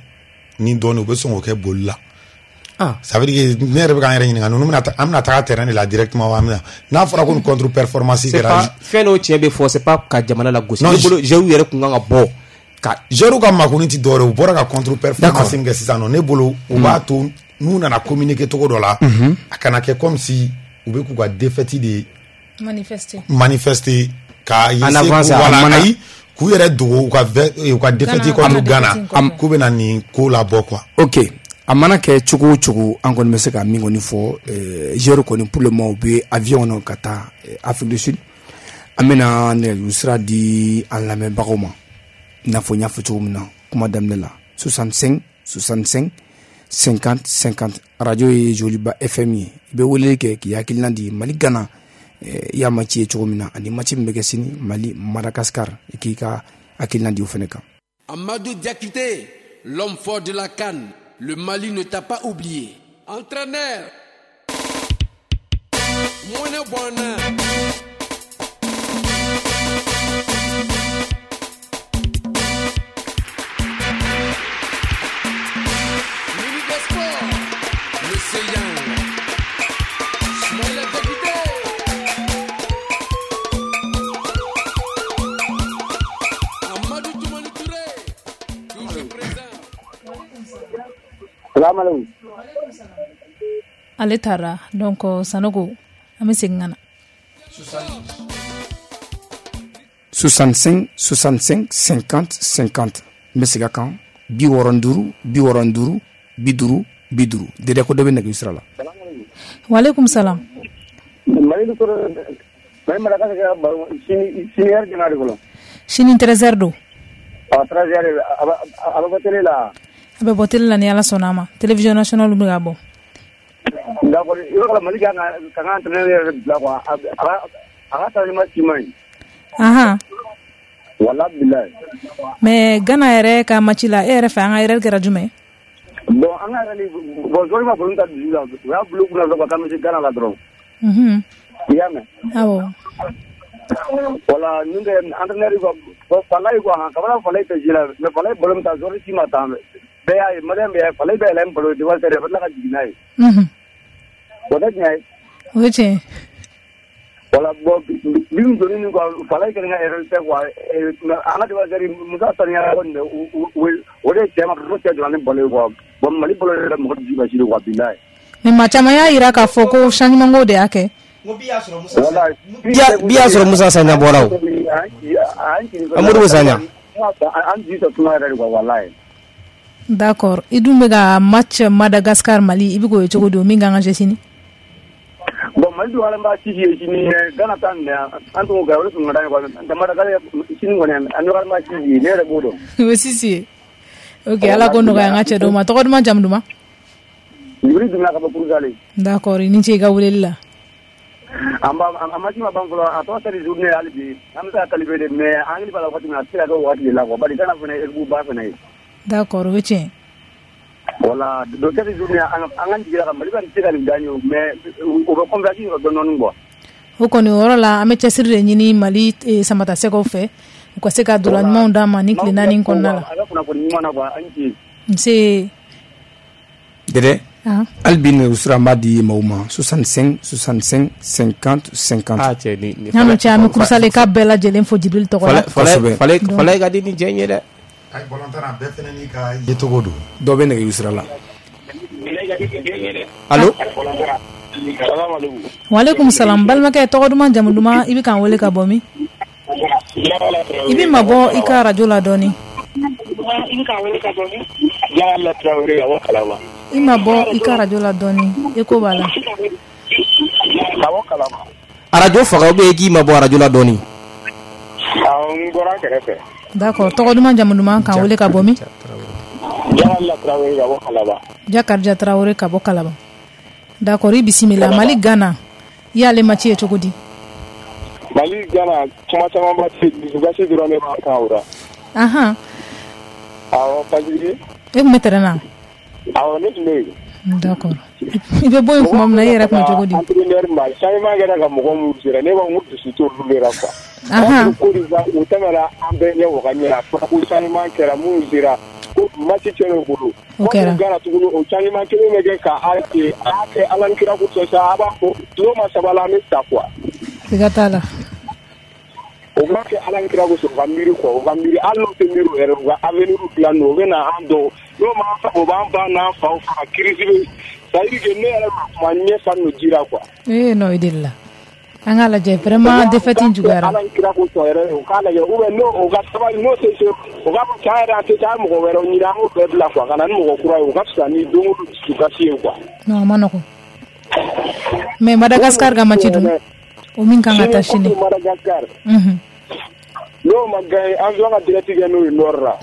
ni dɔɔnin, u bɛ sɔn k'o kɛ boli la. Ça veut dire que ne yɛrɛ bɛ k'an yɛrɛ ɲininka, ninnu bɛna an bɛna taga terrain de la directement wa an bɛna n'a fɔra ko contre performance kɛra. Fɛn dɔw tiɲɛ bɛ fɔ, c'est pas ka jamana lagosi. Ne bolo joueurs yɛrɛ kun kan ka bɔ. Ka joueurs ka makuni ti dɔwɛrɛ, u bɔra ka contre performance min kɛ sisan nɔ, ne bolo u b'a to n'u nana communiquer cogo dɔ la, a kana kɛ comme si u bɛ k'u ka défaite de manifester ka voilà, ayi k'u yɛrɛ dogo u ka défaite contre Ghana, k'u bɛna nin ko labɔ quoi. Ok, a mana kɛ cogo o cogo, an kɔni bɛ se ka min kɔni fɔ, joueurs kɔni pour le moment u bɛ avion kɔnɔ ka taa Afrique du Sud. An bɛna nɛgɛjuru sira di an lamɛnbagaw ma. I n'a fɔ n y'a fɔ cogo min na kuma daminɛ la, 65 65 50 50, radio ye Joliba FM ye. I bɛ weleli kɛ k'i hakilina di Mali Ghana, i y'a match ye cogo min na, ani match min bɛ kɛ sini Mali Madagascar, i k'i ka hakilina di o fɛnɛ kan. Amadou Diakité, l'homme fort de la CAN, le Mali ne t'a pas oublié. Entraîneur Mouné Bona. Ale taara donc Sanogo, an bɛ segin ka na. 65 65 50 50, n bɛ segin a kan, 65 65 50 50. Dede ko dɔ bɛ nɛgɛjuru sira la. Waaleykum salam. Mais Madagascar sini sini heure jumɛn de fɔlɔ? Sini 13h don. Ɔ 13h, a bɛ bɔ télé la. A bɛ bɔ télé la ni Ala sɔnna a ma. Télévision nationale bɛ ka bɔ. D'accord, i b'a dɔn Mali kan ka ka entraîneur yɛrɛ bila quoi, a ka changement si man ɲi. Ahan. Walahi bilahi. Mais Ghana yɛrɛ ka match la, e yɛrɛ fɛ an ka erreur kɛra jumɛn ye? Bon, an ka yɛrɛ ni bon, joueur ma ballon ta dusu la, u y'a bila u kunna dɔrɔn k'an bɛ se Ghana la dɔrɔn. I y'a mɛn? Awɔ. Voilà, ninnu tɛ entraîneur quoi, bon Falaye quoi, Kabala Falaye tɛ jouer la, mais Falaye ballon min ta, joueur si ma ta, bɛɛ y'a ye, Malien bɛɛ y'a ye, Falaye bɛ yɛlɛ ni ballon ye défenseur a bɛ tila ka jigin n'a ye. O tɛ tiɲɛ ye? O ye tiɲɛ ye. Voilà, bon min donni nin quoi, Falaye kelen ka erreur tɛ quoi, an ka défenseur Musa Saniyara kɔni o de ye cɛ ma fo cɛ jɔra ni ballon ye quoi. Bon, Mali ballon yɛrɛ mɔgɔ dusu kasi de quoi, bilahi. Mais maa caman y'a jira k'a fɔ ko changement ko de y'a kɛ. Bi y'a sɔrɔ Musa Sanya bɔra o. Amadu Sanya. An jigi tɛ suma yɛrɛ de quoi, walahi. D'accord, i dun bɛ ka match Madagascar Mali, i bɛ k'o ye cogo di, o min kan ka jouer sini? Bon, Mali dun b'a sisi ye sini, Ghana ta nin an tun k'o kɛ, o de tun ka d'an ye quoi. Madagascar sini kɔni an b'a sisi ye, ne yɛrɛ b'o dɔn. O sisi ye. Ok, Ala k'o nɔgɔya an ka cɛ dɔw ma. Tɔgɔ duman, jamu duman? Jibiri Dumbuya ka bɔ Kurusale. D'accord, i ni ce i ka weleli la. An b'a a match ma ban fɔlɔ, a tɔ sera journée hali bi, an bɛ se ka qualifier de, mais an hakili b'a la waati min na, a tɛ se ka kɛ o waati de la quoi, bari Ghana fana ye équipe ba fana ye. D'accord, o ye tiɲɛ ye. Voilà, donc cette journée an ka jigi la Mali ka se ka nin gagner, mais u bɛ confiance sɔrɔ dɔɔnin dɔɔnin quoi. O kɔni o yɔrɔ la, an bɛ cɛsiri de ɲini Mali samatasɛgɛw fɛ, u ka se ka dolan ɲumanw d'an ma ni tile 4 kɔnɔna la. A ka kunnafoni ɲuman na quoi, an ni ce. Nse. Dɛdɛ. Hali bi nɛgɛjuru an b'a di maaw ma 65 65 50 50. Ah cɛ ni N'an cɛ, an bɛ Kurusale ka bɛɛ lajɛlen fo Jibril tɔgɔ la. Falaye ka di ni cɛ in ye dɛ. Ayi, balontan na bɛɛ fana n'i ka yecogo don. Dɔ bɛ nɛgɛjuru sira la. Allo. Walekum salam, balimakɛ, tɔgɔ duman, jamu duman, i bɛ k'an wele ka bɔ min? I bɛ mabɔ i ka radio la dɔɔni. I ma bɔ i ka radio la dɔɔni, écho b'a la. Arajo faga ou bien i k'i ma bɔ arajo la dɔɔni. Awɔ, n bɔra kɛrɛfɛ. D'accord, tɔgɔ duman, jamu duman, k'an wele ka bɔ min? Jakarija Tarawele ka bɔ Kalaban. D'accord, i bisimila. Mali Ghana, i y'ale match ye cogo di? Mali Ghana, kuma caman ba tɛ, dusukasi dɔrɔn de b'a kan o la. Ahan. Awɔ, parce que e tun bɛ terrain na? Awɔ, ne tun bɛ yen. D'accord. I bɛ bɔ yen tuma min na, i yɛrɛ tun bɛ cogo di? Entraîneur ma changement kɛra ka mɔgɔ minnu sera, ne b'a fɔ n ko dusu t'olu de la quoi. Ahan. Côte d'Ivoire, u tɛmɛna an bɛɛ ɲɛ o ka ɲɛ, a fɔra ko changement kɛra minnu sera, ko match tiɲɛna u bolo. O kɛra. Ghana tuguni, o changement kelen bɛ kɛ ka a kɛ a y'a kɛ Ala ni kira kosɔn sa, a b'a fɔ n'o ma sabali an bɛ sa quoi. Siga t'a la. O b'a kɛ Ala ni kira kosɔn, u ka miiri quoi, u ka miiri, hali n'u tɛ miiri o yɛrɛ, u ka avenir dilan n'o, u bɛ na an dɔn, n'o ma fa, o b'an ba n'an faw faga, crise bɛ, c'est à dire que ne yɛrɛ ma kuma ɲɛ fa n'o jira quoi. Eh non, i delila. An k'a lajɛ vraiment défaite in juguyara. Ala ni kira kosɔn yɛrɛ, u k'a lajɛ, ou bien n'o u ka sabali, n'o tɛ se, u k'a fɔ tiɲɛ yɛrɛ an tɛ taa mɔgɔ wɛrɛw ɲini, an k'o bɛɛ bila quoi, ka na ni mɔgɔ kura ye, o ka fisa ni don o don dusukasi ye quoi. Non, a ma nɔgɔn. Mais Madagascar ka match dun, o min kan ka taa sini. Madagascar. N'o ma gagné, an bɛ ka direct kɛ n'o ye nord la.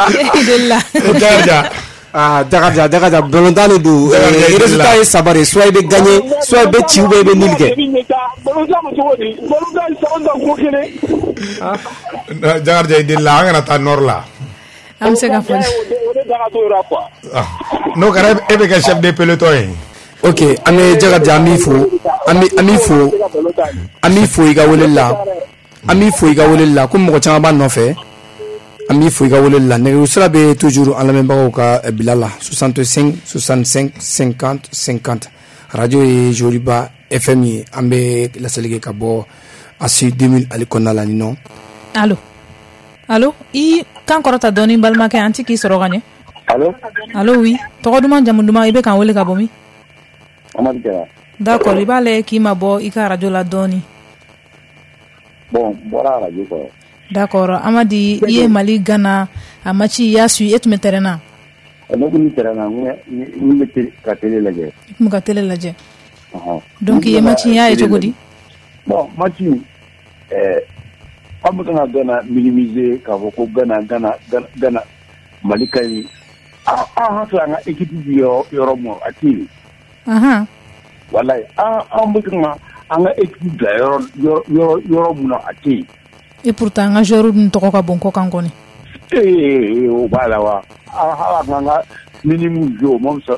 I delila. Jakarija. Ah, Jakarija, Jakarija, balontan de don. Résultat ye 3 de ye, soit i bɛ gagner, soit i bɛ ci ou bien i bɛ nul kɛ. Balontan bɛ cogo di? Balontan san o san ko kelen. Jakarija, i delila, an kana taa nord la. An bɛ se ka fɔ. O de da ka t'o la quoi. N'o kɛra e bɛ kɛ chef de peloton ye. Ok, an bɛ Jakarija, an b'i fo, an b'i fo, an b'i fo i ka weleli la. An b'i fo i ka weleli la, komi mɔgɔ caman b'a nɔfɛ. An b'i fo i ka weleli la. Nɛgɛjuru sira bɛ toujours an lamɛnbagaw ka bila la 65 65 50 50. Radio ye Joliba FM ye, an bɛ laseli kɛ ka bɔ ASI 2000 ale kɔnɔna la nin nɔ. Allo, allo, i kan kɔrɔta dɔɔni balimakɛ, an ti k'i sɔrɔ ka ɲɛ. Allo. Allo, oui, tɔgɔ duman, jamu duman, i bɛ k'an wele ka bɔ min? Amadu Jara. D'accord, i b'a lajɛ k'i mabɔ i ka radio la dɔɔni. Bon, n bɔra radio kɔrɔ. D'accord, Amadi, i ye Mali Ghana a match i y'a suivi, e tun bɛ terrain na? Ne tun bɛ terrain na, n bɛ ka télé lajɛ. I tun bɛ ka télé lajɛ. Donc i ye match in y'a ye cogo di? Bon, match an bɛ ka Ghana minimiser k'a fɔ ko Ghana Mali ka ɲi. An hakili an ka équipe bi yɔrɔ min a tɛ yen. Walayi an bɛ ka an ka équipe bila yɔrɔ min na a tɛ yen. Et pourtant an ka joueurs dun tɔgɔ ka bon kɔkan kɔni. O b'a la wa. Hali an ka minimum jouer o ma fisa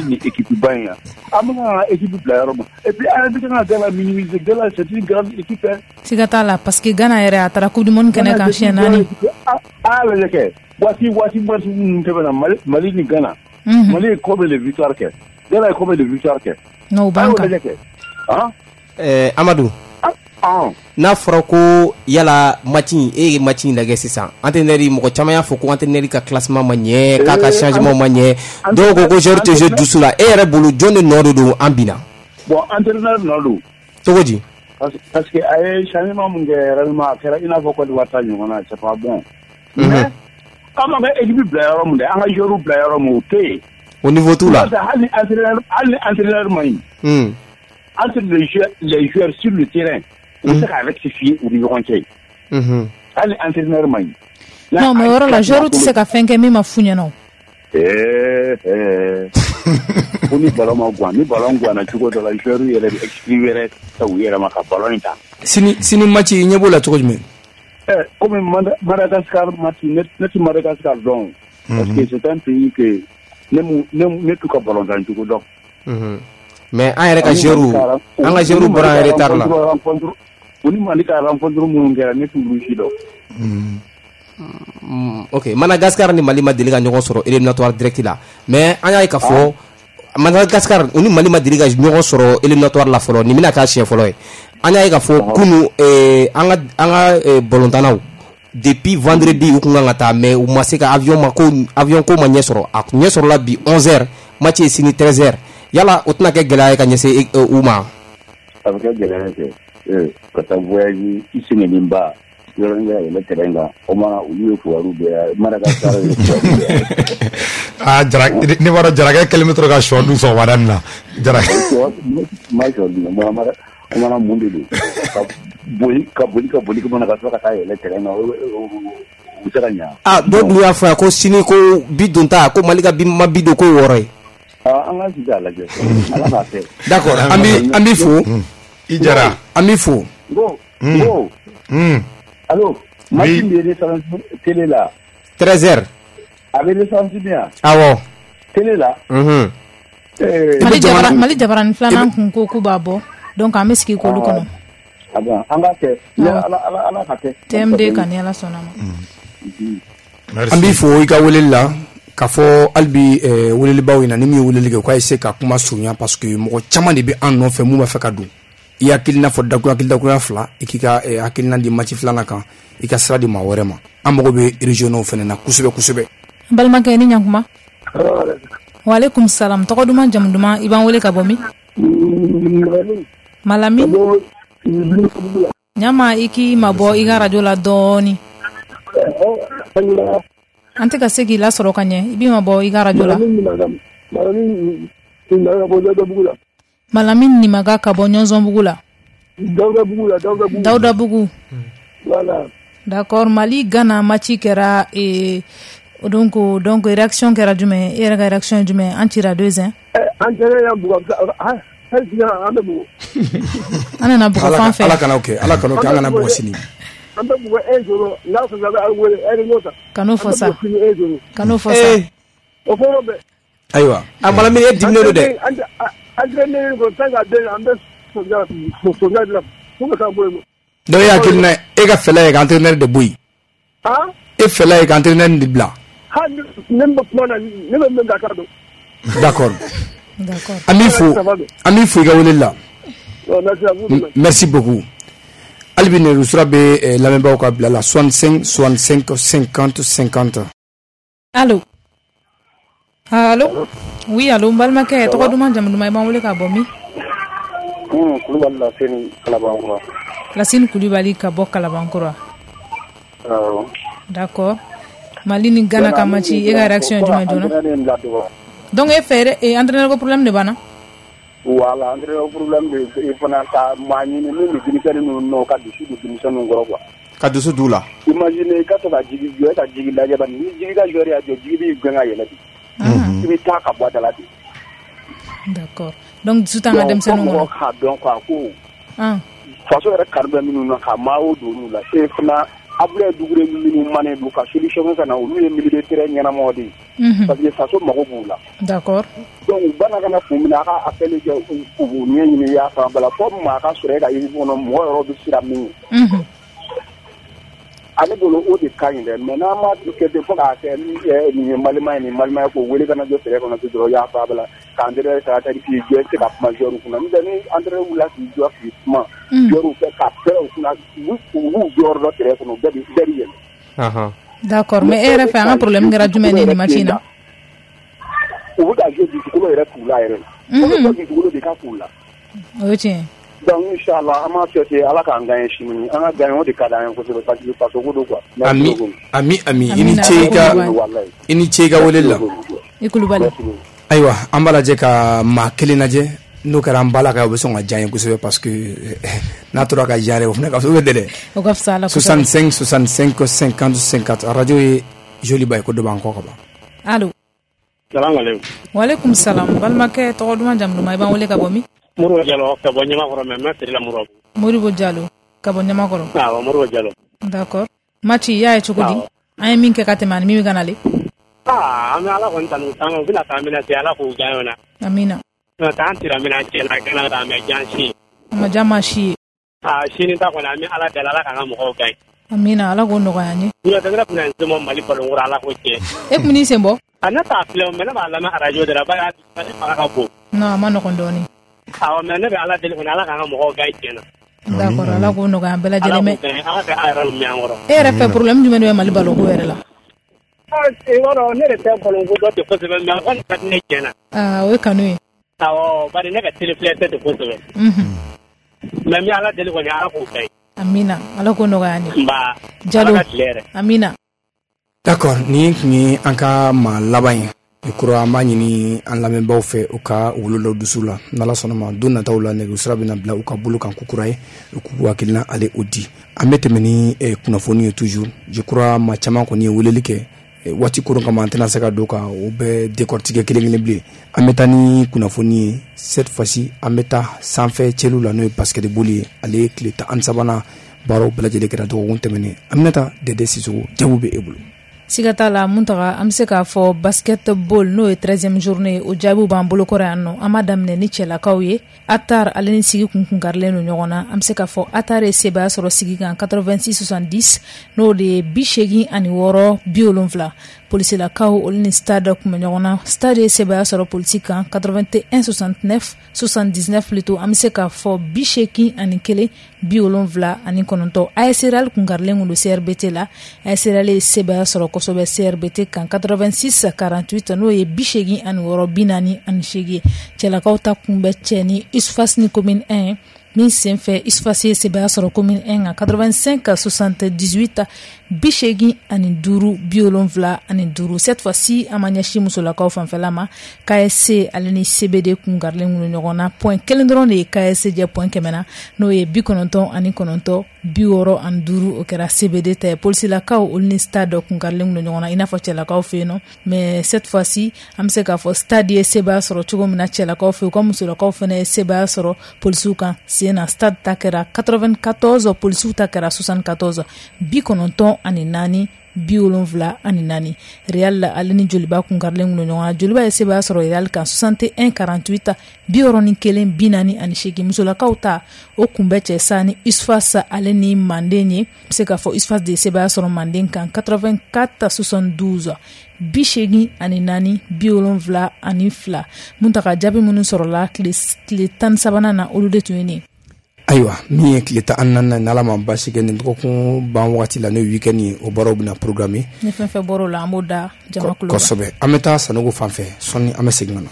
ni équipe ba in ye. An bɛ ka équipe bila yɔrɔ min et puis an bɛ ka Ghana minimiser. Ghana c'est une grande équipe. Siga t'a la parce que Ghana yɛrɛ a taara coupe du monde kɛnɛ kan siɲɛ 4. A lajɛ kɛ waati minnu tɛmɛna Mali ni Ghana. Mali ye combien de victoire kɛ? Ghana ye combien de victoire kɛ? Non, o b'an kan. Amadu. N'a fɔra ko yala match in e ye match in lajɛ sisan entraîneur mɔgɔ caman y'a fɔ ko entraîneur ka classement ma ɲɛ k'a ka changement ma ɲɛ dɔw ko ko joueur tɛ jouer dusu la e yɛrɛ bolo jɔn de nɔ de don an binna? Bon, entraîneur nɔ don. Cogo di? Parce que a ye changement mun kɛ réellement a kɛra i n'a fɔ Côte d'Ivoire ta ɲɔgɔn na, c'est pas bon. Mais an b'an ka équipe bila yɔrɔ min dɛ, an ka joueur bila yɔrɔ min o tɛ yen. Au niveau tout là. Hali entraîneur ma ɲi. Entre les joueurs sur le terrain. U bɛ se ka rectifier u ni ɲɔgɔn cɛ. Hali entraîneur ma ɲi. Non, mais o yɔrɔ la joueur tɛ se ka fɛn kɛ min ma f'u ɲɛna o. Ko ni ballon ma guwan, ni ballon guwanna cogo dɔ la joueur yɛrɛ bɛ excuse wɛrɛ ta u yɛrɛ ma ka ballon in ta. Sini match i ɲɛ b'o la cogo jumɛn? Komi Madagascar match ne tɛ Madagascar dɔn. Parce que c'est un pays que ne t'u ka ballon tan cogo dɔn. Mais an yɛrɛ ka joueur an ka joueur bɔra en retard la. U ni Mali ka rencontre minnu kɛra ne t'olu si dɔn. Ok, Madagascar ni Mali ma deli ka ɲɔgɔn sɔrɔ éliminatoire direct la. Mais an y'a ye k'a fɔ Madagascar u ni Mali ma deli ka ɲɔgɔn sɔrɔ éliminatoire la fɔlɔ, nin bɛna k'a siɲɛ fɔlɔ ye. An y'a ye k'a fɔ kunu an ka ballontannaw depuis vendredi u kun kan ka taa mais u ma se ka avion ma ko avion ko ma ɲɛ sɔrɔ. A ɲɛ sɔrɔla bi 11h, match ye sini 13h. Yala o tɛna kɛ gɛlɛya ye ka ɲɛsin u ma? A bɛ kɛ gɛlɛya ye kɛ ka taa voyage i sɛgɛnnenba yɔrɔnin kɛ ka yɛlɛ terrain kan o mana olu ye kibaru bɛɛ Madagascar ye kibaru bɛɛ. Aa Jara ne b'a dɔn Jarakɛ kɛlen bɛ to ka sɔ dun sɔgɔmada nin na. Jarakɛ. Ma sɔ dun o mana mun de don ka boli ka mana ka sɔrɔ ka taa yɛlɛ terrain kan u bɛ se ka ɲa. Aa dɔw dun y'a fɔ yan ko sini ko bi don ta ko Mali ka bi ma bi don ko 6 ye. An ka sigi a lajɛ ala k'a kɛ. D'accord, an b'i fo. I Jara. An b'i fo. Ko. Allo. Match min bɛ retransmis télé la. 13h. A bɛ retransmis yan. Awɔ. Télé la. Mali jabarani filanan kun ko k'u b'a bɔ donc an bɛ sigi k'olu kɔnɔ. Ah bon, an k'a kɛ. Ala ka kɛ. TMD kan ni Ala sɔnna ma. An b'i fo i ka weleli la. K'a fɔ hali bi welelibaw ɲɛna ni min ye weleli kɛ u k'a essayer ka kuma surunya parce que mɔgɔ caman de bɛ an nɔfɛ mun b'a fɛ ka don. I hakilina fɔ dakurunya fila i k'i ka hakilina di match filanan kan i ka sira di maa wɛrɛ ma. An mago bɛ régionaux fana na kosɛbɛ kosɛbɛ. N balimakɛ ni ɲankuma. Waaleykum salam, tɔgɔ duman jamu duman, i b'an wele ka bɔ min? Malami. Ɲama i k'i mabɔ i ka radio la dɔɔni. An tɛ ka se k'i lasɔrɔ ka ɲɛ, i b'i mabɔ i ka radio la. Malami Nimaga ka bɔ Ɲɔnzɔnbugu la. Dawudabugu. Voilà. D'accord, Mali Ghana match kɛra donc réaction kɛra jumɛn? E yɛrɛ ka réaction ye jumɛn? An cira 2-1. An tɛnɛ y'an bugɔ hali sini an bɛ bugɔ. An nana bugɔ fan fɛ. Ala kana o kɛ, an kana bugɔ sini. An bɛ bugɔ 1-0 n'a sɔrɔ a bɛ aw wele réunion ta. Kan'o fɔ sa. Kan'o fɔ sa. O fɔra bɛɛ. Ayiwa. A Malami e diminen don dɛ. Entraîneur ko tant que den an bɛ soja de la fo ka taa bɔ yen. Donc e hakilina e ka fɛlɛ ye ka entraîneur de bɔ yen. E fɛlɛ ye ka entraîneur de bila. Hali ne bɛ kuma na ne bɛ min k'a dɔn. D'accord. An b'i fo i ka weleli la. Merci beaucoup. Hali bi nɛgɛjurusira bɛ lamɛnbaaw ka bila la 65 65 50 50. Allo. Allo. Oui, allo, n balimakɛ tɔgɔ duman jamu duman, i b'an wele ka bɔ min? Kulubali Laseni Kalabankura. Laseni Kulubali ka bɔ Kalabankura. Awɔ. D'accord. Mali ni Ghana ka match e ka réaction ye jumɛn joona? Donc e fɛ entraîneur ko problème de b'an na? Voilà, entraîneur problème de fana ka maa ɲini min bɛ denmisɛnnin ninnu nɔ ka dusu don denmisɛnninw kɔrɔ quoi. Ka dusu d'u la. Imagine i ka to ka jigi jɔ e ka jigi lajɛ bani ni jigi ka joueur y'a jɔ jigi b'i gɛn ka yɛlɛ de. I bɛ taa ka bɔ a da la de. D'accord. Donc dusu t'an ka denmisɛnninw kɔnɔ. Mɔgɔ k'a dɔn quoi ko. Faso yɛrɛ kanu bɛ minnu na ka maaw don olu la e fana Abdoulaye Doucouré minnu manen don ka solution ka na olu ye milieu de terrain ɲɛnamaw de ye. Parce que faso mago b'u la. D'accord. Donc u bana ka na kun min na a ka appel kɛ u ɲɛɲini i y'a faamu bala fo maa ka sɔrɔ e ka équipe kɔnɔ mɔgɔ yɛrɛ bɛ siran min ye. Ale bolo o de ka ɲi dɛ mais n'an ma kɛ ten fo k'a kɛ nin ye Malima ye nin Malima ye k'o wele ka na jɔ terrain kɔnɔ ten dɔrɔn i y'a faamu bala k'entraîneur ka taa k'i jɔ i tɛ se ka kuma joueur kunna n'o tɛ ni entraîneur wulila k'i jɔ k'i kuma joueur fɛ ka pɛrɛn u kunna u b'u jɔyɔrɔ dɔn terrain kɔnɔ bɛɛ bɛ yɛlɛ. D'accord, mais e yɛrɛ fɛ an ka problème kɛra jumɛn ye nin match in na? U bɛ ka jouer dusukolo yɛrɛ t'u la yɛrɛ. O dusukolo de ka k'u la. O ye tiɲɛ ye. Donc inchallah an b'a souhaiter Ala k'an gagner sini an ka gagner o de ka d'an ye kosɛbɛ parce que faso ko don quoi. Ami ami ami i ni ce i ka i ni ce i ka weleli la. I Kulubali. Ayiwa an b'a lajɛ ka maa kelen lajɛ n'o kɛra an bala ka o bɛ sɔn ka diya n ye kosɛbɛ parce que n'a tora ka diya yɛrɛ o fana ka fisa o bɛ dɛ. O ka fisa a la kosɛbɛ. 65 65 50 50 radio ye Joliba ye ko dɔ b'an kɔ ka ban. Allo. Salaamaaleykum. Waaleykum salam balimakɛ tɔgɔ duman jamu duman i b'an wele ka bɔ min? Moribo Jalo ka bɔ Ɲamakɔrɔ mais n bɛ feere la Moribo. Moribo Jalo ka bɔ Ɲamakɔrɔ. Awɔ Moribo Jalo. D'accord. Match i y'a ye cogo di? An ye min kɛ ka tɛmɛ ani min bɛ ka nalen. Aa an bɛ Ala kɔni tanu u bɛna taa min se Ala k'u diya ɲɔgɔn na. Amina. N'o tɛ an tira min na cɛ la gana la mais diya si. A ma diya maa si ye. Aa sini ta kɔni an bɛ Ala deli Ala k'an ka mɔgɔw gagne. Amina Ala k'o nɔgɔya an ye. N'o tɛ ne tun bɛna n sen bɔ Mali ballon ko la Ala k'o tiɲɛ. E tun bɛ n'i sen bɔ? A ne t'a filɛ mais ne b'a lamɛn radio de la bari a fanga ka bon. Non a ma nɔgɔn dɔɔnin. Awɔ mais ne bɛ Ala deli kɔni Ala k'an ka mɔgɔw gagne tiɲɛ na. D'accord Ala k'o nɔgɔya an bɛɛ lajɛlen mais. Ala k'an yɛrɛ mɛn an kɔrɔ. E yɛrɛ fɛ problème jumɛn de bɛ Mali ballon ko yɛrɛ la? I b'a dɔn ne de tɛ ballon ko dɔn ten kosɛbɛ mais a kɔni ka di ne tiɲɛ na. Aa o ye kanu ye. Awɔ bari ne ka télé filɛ tɛ ten kosɛbɛ. Mais n bɛ Ala deli kɔni Ala k'o gagne. Amina Ala k'o nɔgɔya an ye. Nba. Jalo Ala ka tile hɛrɛ. Amina. D'accord nin tun ye an ka maa laban ye. I kura an b'a ɲini an lamɛnbaaw fɛ u ka wolo dɔ dusu la n'Ala sɔnna ma don nataw la nɛgɛjuru sira bɛna bila u ka bolo kan ko kura ye u k'u hakilina ale o di. An bɛ tɛmɛ ni kunnafoni ye toujours je crois maa caman kɔni ye weleli kɛ waati koron kama an tɛna se ka don ka o bɛɛ décortiquer kelen kelen bilen. An bɛ taa ni kunnafoni ye cette fois-ci an bɛ taa sanfɛ cɛlu la n'o ye basketball ye ale ye tile 13nan baaraw bɛɛ lajɛlen kɛra dɔgɔkun tɛmɛnen. Aminata Dede Sisoko jaabi bɛ e bolo. Siga t'a la Muntaga an bɛ se k'a fɔ basketball n'o ye 13e journée o jaabiw b'an bolokɔrɔ yan nɔ. An b'a daminɛ ni cɛlakaw ye. Atar ale ni Sigi kun karilen don ɲɔgɔn na. An bɛ se k'a fɔ Atar ye sebaaya sɔrɔ Sigi kan 86-70 n'o de ye 86-70. Polisilakaw olu ni Stade kun bɛ ɲɔgɔn na. Stade ye sebaaya sɔrɔ Polisi kan 81-69 79 plutôt an bɛ se k'a fɔ 81-79. AS Real kun karilen don CRBT la. AS Real ye sebaaya sɔrɔ kosɛbɛ CRBT kan 86-48 n'o ye 86-48. Cɛlakaw ta kun bɛ cɛ ni USFAS ni commune 1 min senfɛ USFAS ye sebaaya sɔrɔ commune 1 kan 85-78 85-75. Cette fois-ci an ma ɲɛsin musolakaw fanfɛla ma. KSC ale ni CBD kun karilen don ɲɔgɔn na. Point kelen dɔrɔn de ye KSC jɛ point 100 na n'o ye 99 65 o kɛra CBD ta ye. Polisilakaw olu ni Stade kun karilen don ɲɔgɔn na i n'a fɔ cɛlakaw fɛ yen nɔ. Mais cette fois-ci an bɛ se k'a fɔ Stade ye sebaaya sɔrɔ cogo min na cɛlakaw fɛ yen u ka musolakaw fana ye sebaaya sɔrɔ polisiw kan sen na. Stade ta kɛra 94 polisiw ta kɛra 74 94 74. Real ale ni Joliba kun karilen don ɲɔgɔn na. Joliba ye sebaaya sɔrɔ Real kan 61-48 61 48. Musolakaw ta o kun bɛ cɛ sa ni USFAS ale ni Manden ye. Bɛ se k'a fɔ USFAS de ye sebaaya sɔrɔ Manden kan 84-72 84 72. Muntaga jaabi minnu sɔrɔla tile 13nan na olu de tun ye nin. Ayiwa min ye tile 14nan n'Ala ma baasi kɛ nin dɔgɔkun ban waati la n'o ye week-end ye o baaraw bɛna programmer. Ni fɛn fɛn bɔr'o la an b'o da jama kulo kan. Kosɛbɛ an bɛ taa Sanogo fan fɛ sɔnni an bɛ segin ka na.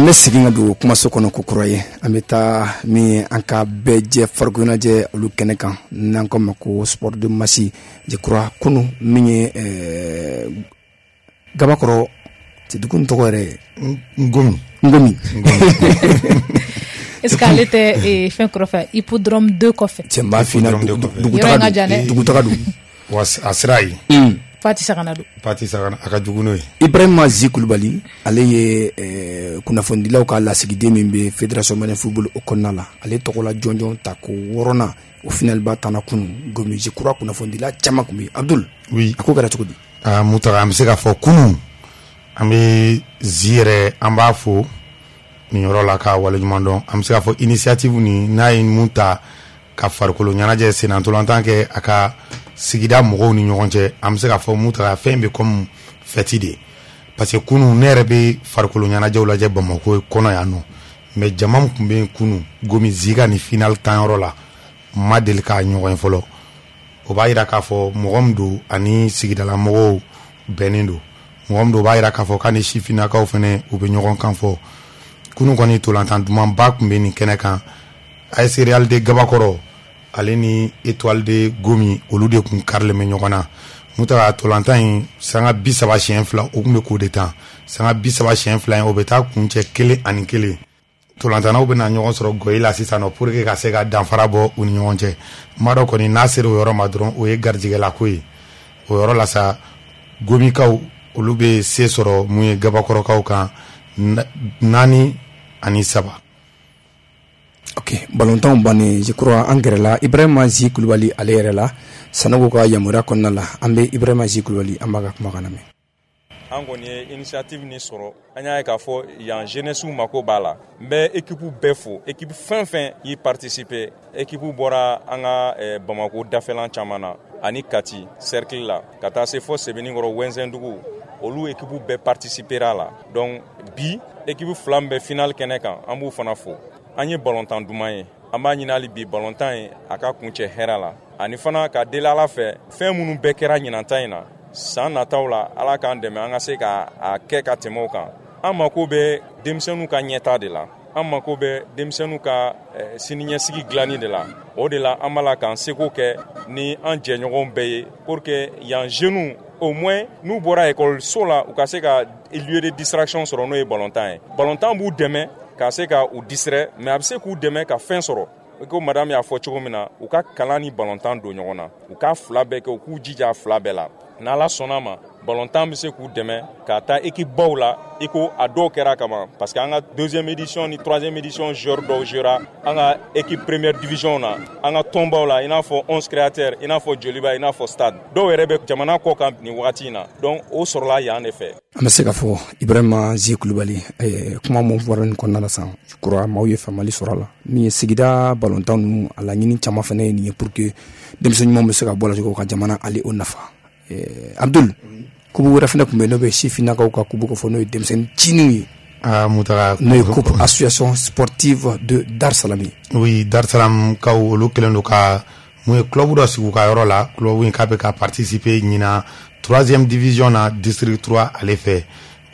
An bɛ segin ka don kumaso kɔnɔ ko kura ye. An bɛ taa min ye an ka bɛɛ jɛ farikoloɲɛnajɛ olu kɛnɛ kan, n'an ko ma ko sport de masse. Je crois kunun min ye Gabakɔrɔ, dugu tɔgɔ yɛrɛ? Ngomi. Ngomi. Est ce que ale tɛ fɛn kɔrɔfɛ, hippodrome 2 kɔfɛ? Cɛ, n b'a f'i ɲɛna, dugutaga don. Wa a sira ye. Fati Sagana don. Fati Sagana, a ka jugu n'o ye. Ibrahima Zi Kulubali, ale ye kunnafonidilaw ka lasigiden min bɛ Fédération malienne football o kɔnɔna la, ale tɔgɔla jɔnjɔn ta ko wɔɔrɔnan, o finaliba tanna kunun Gomi. Je crois kunnafonidila caman tun bɛ yen. Abdul. Oui. A ko kɛra cogo di? Aa Mutaga, an bɛ se k'a fɔ kunun an bɛ Zi yɛrɛ, an b'a fo nin yɔrɔ la k'a waleɲuman dɔn. An bɛ se k'a fɔ initiative nin n'a ye mun ta ka farikolo ɲɛnajɛ, sennantolatan kɛ a ka sigida mɔgɔw ni ɲɔgɔn cɛ, an bɛ se k'a fɔ Mutaga, fɛn bɛ comme fête de, parce que kunun ne yɛrɛ bɛ farikolo ɲɛnajɛw lajɛ Bamakɔ kɔnɔ yan nɔ, mais jama min tun bɛ yen kunun Gomi Zi ka nin finale tanyɔrɔ la, n ma deli k'a ɲɔgɔn ye fɔlɔ. O b'a yira k'a fɔ mɔgɔ min don ani sigidala mɔgɔw bɛnnen don, mɔgɔ min don, o b'a yira k'a fɔ k'a ni sifinnakaw fɛnɛ u bɛ ɲɔgɔn kan fɔ. Kunun kɔni, tolantan dumanba tun bɛ nin kɛnɛ kan. AS Real de Gabakɔrɔ ale ni Étoile de Gomi, olu de tun karilen bɛ ɲɔgɔn na. Mutaga, tolantan in sanga 30 siɲɛ fila, o tun bɛ k'o de tan. Sanga 30 siɲɛ fila in, o bɛ taa kuncɛ 1-1. Tolantannaw bɛna ɲɔgɔn sɔrɔ gɔyi la sisan nɔ pour que ka se ka danfara bɔ u ni ɲɔgɔn cɛ. N b'a dɔn kɔni, n'a sera o yɔrɔ ma dɔrɔn, o ye garijɛgɛlako ye. O yɔrɔ la sa, Gomikaw olu bɛ se sɔrɔ mun ye Gabakɔrɔkaw kan, 4-3. Ok, balontanw bannen, je crois an gɛrɛla Ibrahima Zi Kulubali ale yɛrɛ la Sanogo ka yamaruya kɔnɔna la. An bɛ Ibrahima Zi Kulubali, an b'a ka kumakan lamɛn. An kɔni ye initiative nin sɔrɔ, an y'a ye k'a fɔ yan jeunesse mako b'a la. N bɛ équipe bɛɛ fo, équipe fɛn fɛn y'i participer. Équipe bɔra an ka Bamako dafɛlan caman na ani Kati cercle la, ka taa se fɔ Sebenikɔrɔ, Wɛnzɛndugu, olu équipe bɛɛ participera la. Donc bi équipe fila min bɛ finale kɛnɛ kan, an b'u fana fo. An ye balontan duman ye, an b'a ɲini hali bi balontan ye a ka kuncɛ hɛrɛ la, ani fana ka deli Ala fɛ, fɛn minnu bɛɛ kɛra ɲinanta in na, san nataw la Ala k'an dɛmɛ an ka se ka a kɛ ka tɛmɛ o kan. An mako bɛ denmisɛnninw ka ɲɛta de la, an mako bɛ denmisɛnninw ka siniɲɛsigi dilanni de la. O de la an b'a la k'an seko kɛ ni an jɛɲɔgɔnw bɛɛ ye pour que yan jeunes, au moins n'u bɔra ekɔliso la, u ka se ka lieu de distraction sɔrɔ, n'o ye balontan ye. Balontan b'u dɛmɛ ka se ka u distraire, mais a bɛ se k'u dɛmɛ ka fɛn sɔrɔ. I ko madame y'a fɔ cogo min na, u ka kalan ni balontan don ɲɔgɔn na, u k'a fila bɛɛ kɛ, u k'u jija a fila bɛɛ la. N'Ala sɔnna ma, balontan bɛ se k'u dɛmɛ ka taa équipe baw la, i ko a dɔw kɛra kaban, parce que an ka deuxième édition ni troisième édition joueur dɔw jouera an ka équipe première division na, an ka tɔnbaw la, i n'a fɔ 11 créateurs, i n'a fɔ Joliba, i n'a fɔ Stade. Dɔw yɛrɛ bɛ jamana kɔ kan nin wagati in na. Donc o sɔrɔla yan de fɛ. An bɛ se k'a fɔ Ibrahima Zi Kulubali, kuma mun fɔra nin kɔnɔna la sisan, je crois maaw ye faamuyali sɔrɔ a la. Min ye sigida balontan ninnu, a laɲini caman fana ye nin ye pour que denmisɛn ɲumanw bɛ se ka bɔ a la cogo ka jamana ale o nafa. Abdul, coupe wɛrɛ fana tun bɛ yen, n'o bɛ sifinnakaw ka coupe ko fɔ, n'o ye denmisɛnnin cininw ye. Ah, Mutaga. N'o ye coupe association sportive de Dar Salam ye. Oui, Dar Salam kaw, olu kɛlen don ka mun ye club dɔ sigi u ka yɔrɔ la. Club in k'a bɛ ka participer ɲinan troisième division na, district 3 ale fɛ.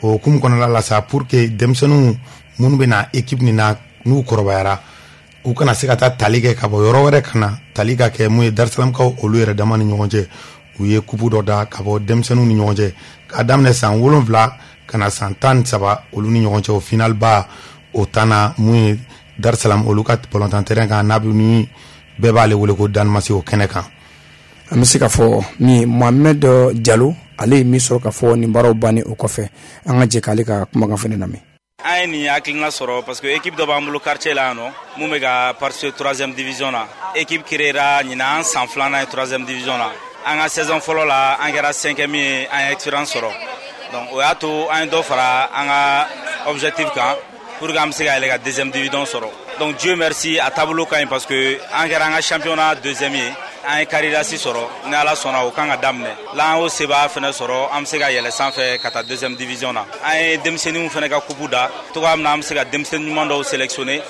O hukumu kɔnɔna la sa, pour que denmisɛnninw minnu bɛ na équipe nin na, n'u kɔrɔbayara, u kana se ka taa tali kɛ ka bɔ yɔrɔ wɛrɛ ka na tali ka kɛ mun ye Dar Salam kaw olu yɛrɛ dama ni ɲɔgɔn cɛ, u ye coupe dɔ da ka bɔ denmisɛnninw ni ɲɔgɔn cɛ k'a daminɛ san 7 ka na san 13 olu ni ɲɔgɔn cɛ. O final ba o tanna mun ye Dar Salam olu ka balontan terrain kan, n'a bɛ ni bɛɛ b'ale wele ko Danmasi, o kɛnɛ kan. An bɛ se k'a fɔ min ye Mohamed Jalo, ale ye min sɔrɔ k'a fɔ nin baaraw bannen o kɔfɛ, an ka jɛ k'ale ka kumakan fana lamɛn. An ye nin hakilina sɔrɔ parce que équipe dɔ b'an bolo quartier la yan nɔ mun bɛ ka participer troisième division na. Équipe créera ɲinan, an san filanan ye troisième division na. An ka saison fɔlɔ la, an kɛra cinquième ye, an ye expérience sɔrɔ. Donc o y'a to an ye dɔ fara an ka objectif kan pour que an bɛ se ka yɛlɛ ka deuxième division sɔrɔ. Donc Dieu merci, a taabolo ka ɲi parce que an kɛra an ka championnat deuxième ye, an ye Caritas sɔrɔ. Ni Ala sɔnna, o kan ka daminɛ la, an y'o sebaya fɛnɛ sɔrɔ, an bɛ se ka yɛlɛ sanfɛ ka taa deuxième division na. An ye denmisɛnninw fɛnɛ ka coupe da togoya min na, an bɛ se ka denmisɛnnin ɲuman dɔw sélectionner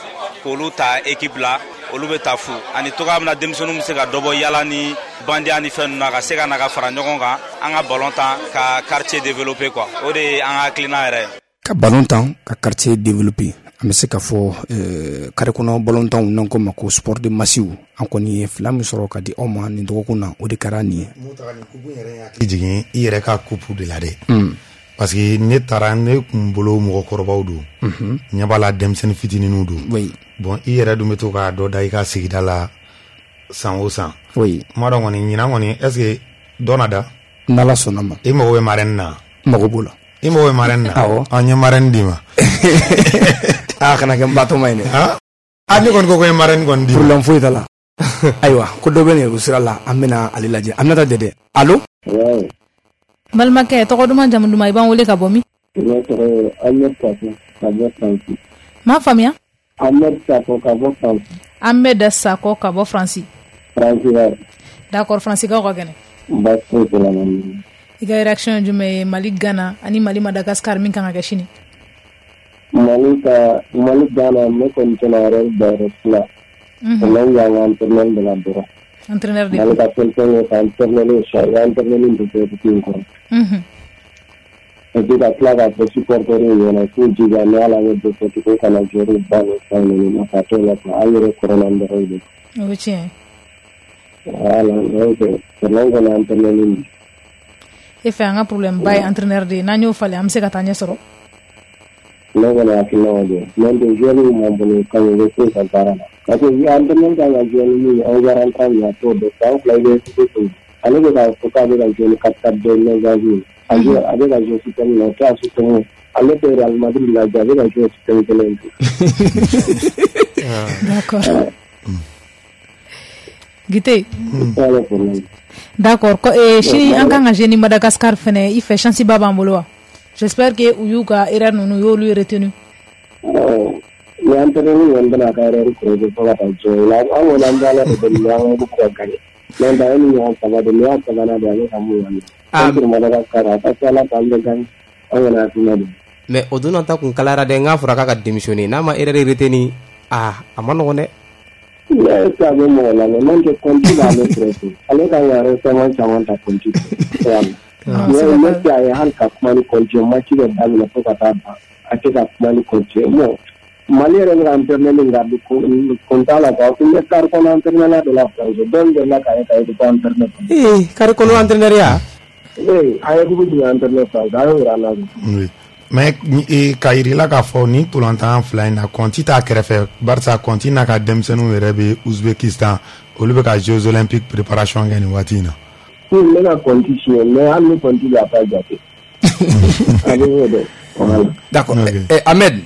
k'olu ta équipe la, olu bɛ ta fu, ani togoya min na denmisɛnninw bɛ se ka dɔ bɔ yala ni bandiya ni fɛn ninnu na, ka se ka na ka fara ɲɔgɔn kan, an ka ballon tan ka quartier développer quoi. O de ye an ka hakilina yɛrɛ ye. Ka ballon tan ka quartier développer. An bɛ se k'a fɔ carré kɔnɔ ballon tan n'an ko ma ko sport de masse, an kɔni ye fila min sɔrɔ ka di aw ma nin dɔgɔkun na, o de kɛra nin ye. Hakili jigin i yɛrɛ ka coupe de la dɛ, parce que ne taara, ne kun bolo mɔgɔkɔrɔbaw don, ɲɛ b'a la denmisɛnnin fitininw don. Bon, i yɛrɛ dun bɛ to k'a dɔ da i ka sigida la san o san. Kuma dɔn kɔni, ɲinan kɔni, est ce que dɔ na da? N'Ala sɔnna ma. I mago bɛ marraine na? N mago b'o la. I mago bɛ marraine na? Awɔ. An ye marraine d'i ma. Aa, kana kɛ n batɔma ye dɛ. Ah, ne kɔni ko n ye marraine kɔni d'i ma. Problème foyi t'a la. Ayiwa, ko dɔ bɛ nɛgɛjuru sira la, an bɛna ale lajɛ. Aminata Dɛdɛ, allo. Balimakɛ, tɔgɔ duman, jamu duman, i b'an wele ka bɔ min? Ne tɔgɔ ye Ahmed Sako ka bɔ Faransi. M'a faamuya. Ahmed Sako ka bɔ Faransi. Ahmed Sako ka bɔ Faransi. Faransi wa. D'accord, Faransikaw ka kɛnɛ. Baasi foyi t'o la. I ka réaction ye jumɛn ye Mali Ghana ani Mali Madagascar min kan ka kɛ sini? Mali ka Mali Ghana, ne kɔni tɛna yɛrɛ da yɔrɔ si la. Problème y'an ka entraîneur de la dɔrɔn. Entraîneur de. Mali ka fɛn fɛn ye ka entraîneur changer, entraîneur de bɛ équipe in kɔrɔ. Et puis ka tila k'a fɔ supporter ɲɛna k'u jija, ni ala bɛ défaite ko kana joueur ba ni fɛn ninnu, nafa t'o la quoi, an yɛrɛ kɔrɔla dɔrɔn de. O ye tiɲɛ ye. Voilà, donc problème kɔni entraîneur de. E fɛ an ka problème ba ye entraîneur de ye, n'an y'o falen, an bɛ se ka taa ɲɛ sɔrɔ. Ne kɔni hakilina o de ye. N'o tɛ, joueur min b'an bolo kan u bɛ foyi ka baara la. Parce que entraîneur kan ka jouer ni min ye, 11 rentrant min, a t'o dɔn. San 2 i bɛ cogo, ale bɛ k'a fɔ k'a bɛ ka jouer ni 4-4-2 losange ye. A bɛ ka jouer système min na, o t'a système ye. Ale tɛ Real Madrid lajɛ, a bɛ ka jouer système kelen in. D'accord. Gite. D'accord. Sini an kan ka jouer ni Madagascar fɛnɛ, i fɛ chance ba b'an bolo wa? J'espère que u y'u ka erreur ninnu, u y'olu retenu. Ni entraîneur kɔni bɛna a ka erreur corriger fo ka taa diɲɛ wuli, an kɔni an bɛ Ala de deli, an ka ka gagner. N'o tɛ, an ni ɲɔgɔn saba de, nin y'a sabanan de ye, a bɛ ka mun yan. Contre Madagascar, a ka ca Ala fɛ an bɛ gagner, an kɔni hakilina don. Mais o donna ta kun kalayara dɛ, n k'a fɔra k'a ka démissionner, n'a ma erreur retenu, ah, a ma nɔgɔn dɛ. Est ce que a bɛ mɔgɔ lamɛn? N'o tɛ, compte b'ale kɛrɛfɛ, ale kan ka récemment caman ta compte fɛ. Mais a ye hali ka kuma ni compte ye, match bɛ daminɛ fo ka taa ban, a tɛ ka kuma ni compte ye. Bon, Mali yɛrɛ bɛ ka entraîneur min garder, kun t'a la quoi. Kun bɛ carré kɔnɔ entraîneur de la France, dɔw delila k'a ye k'a ye ko entraîneur. Ee, carré kɔnɔ entraîneur ya? Ee, a ye kupu jumɛn entraîneur France, a y'o yira an na. Oui. Mais k'a yir'i la k'a fɔ nin ntolantan fila in na, Kɔnti t'a kɛrɛfɛ, barisa Kɔnti n'a ka denmisɛnninw yɛrɛ bɛ Uzbekistan, olu bɛ ka Jeux olympiques préparation kɛ nin waati in na. Ne ka Kɔnti siɲɛ, mais hali ni Kɔnti bɛ, a t'a jate. Ale y'o dɔn. Voilà. D'accord. Ahmed.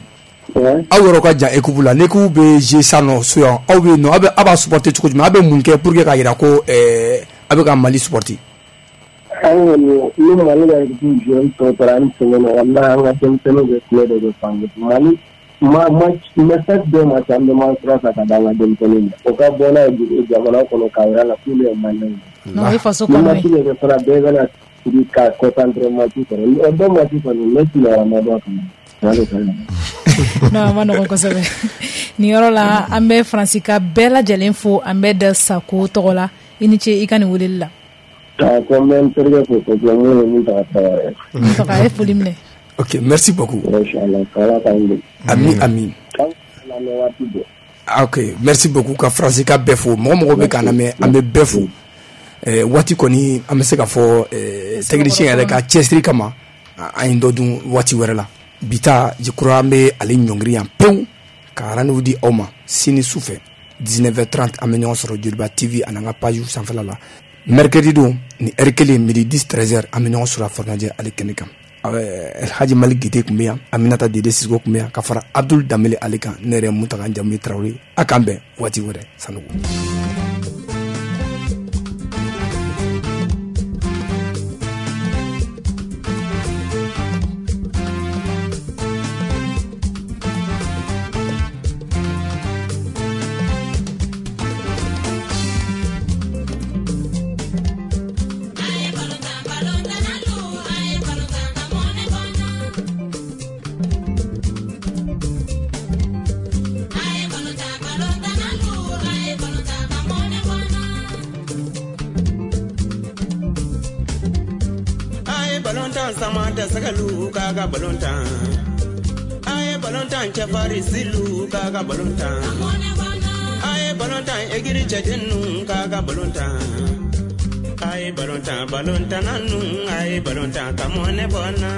Aw yɔrɔ ka jan équipe la, ni équipe bɛ jouer sisan nɔ so yan, aw bɛ yen nɔ, aw bɛ aw b'a supporter cogo jumɛn, aw bɛ mun kɛ pour que k'a jira ko aw bɛ ka Mali supporter? An kɔni, ni Mali ka équipe joueur tɔ tora an sɛgɛn na, walahi, an ka denmisɛnninw bɛ kulo de bɛ fan Mali ma match, mais chaque deux match, an bɛ match ta ka d'an ka denmisɛnninw ma, o ka bɔ n'a ye jamana kɔnɔ k'a jira la k'olu ye Maliyɛnw ye. Non, o ye faso Ni kanu match ye. bɛ kɛ fana, bɛɛ bɛna sigi ka concentrer match kɔnɔ, o deux match kɔni, ne sunɔgɔra ma bɔ a kɔnɔ. Mali ka ɲi. Non, a ma nɔgɔn kosɛbɛ. Nin yɔrɔ la, an bɛ Faransi ka bɛɛ lajɛlen fo, an bɛ da Sako tɔgɔ la. I ni ce i ka nin weleli la. Ah, ko n bɛ n terikɛ fo kosɛbɛ, mun ye mun ta ka taga. Mun tɔgɔ, a ye foli minɛ. Ok, merci beaucoup. Inchallah, k'Ala k'an bɛn. Ami ami. K'an lamɛn waati bɛɛ. Ok, merci beaucoup ka Faransi ka bɛɛ fo. Mɔgɔ mɔgɔ bɛ k'an lamɛn, an bɛ bɛɛ fo. Waati kɔni, an bɛ se k'a fɔ technicien yɛrɛ ka cɛsiri kama, an ye dɔ dun waati wɛrɛ la. Bi ta, je crois, an bɛ ale ɲɔngiri yan pewu ka rendez-vous di aw ma sini su fɛ 19h30, an bɛ ɲɔgɔn sɔrɔ Joliba TV ani an ka page sanfɛla la. Mercredi don ni heure kelen, midi 10 13h, an bɛ ɲɔgɔn sɔrɔ a Farajɛ ale kɛnɛ kan. Alhaji Malik Gite tun bɛ yan, Aminata Dede Sisoko tun bɛ yan, ka fara Abdul Danbele ale kan. Ne yɛrɛ Mutaga Jamu Tarawele, a k'an bɛn waati wɛrɛ. Sanogo. Sama tɛ sɛgɛlu k'a ka balon tan. balontan cɛfarin silu k'a ka balontan. A ye balontan egiri cɛden nu k'a ka balontan. A ye balontan balontanna nu, a ye balontan ka mɔnɛ bɔ n na.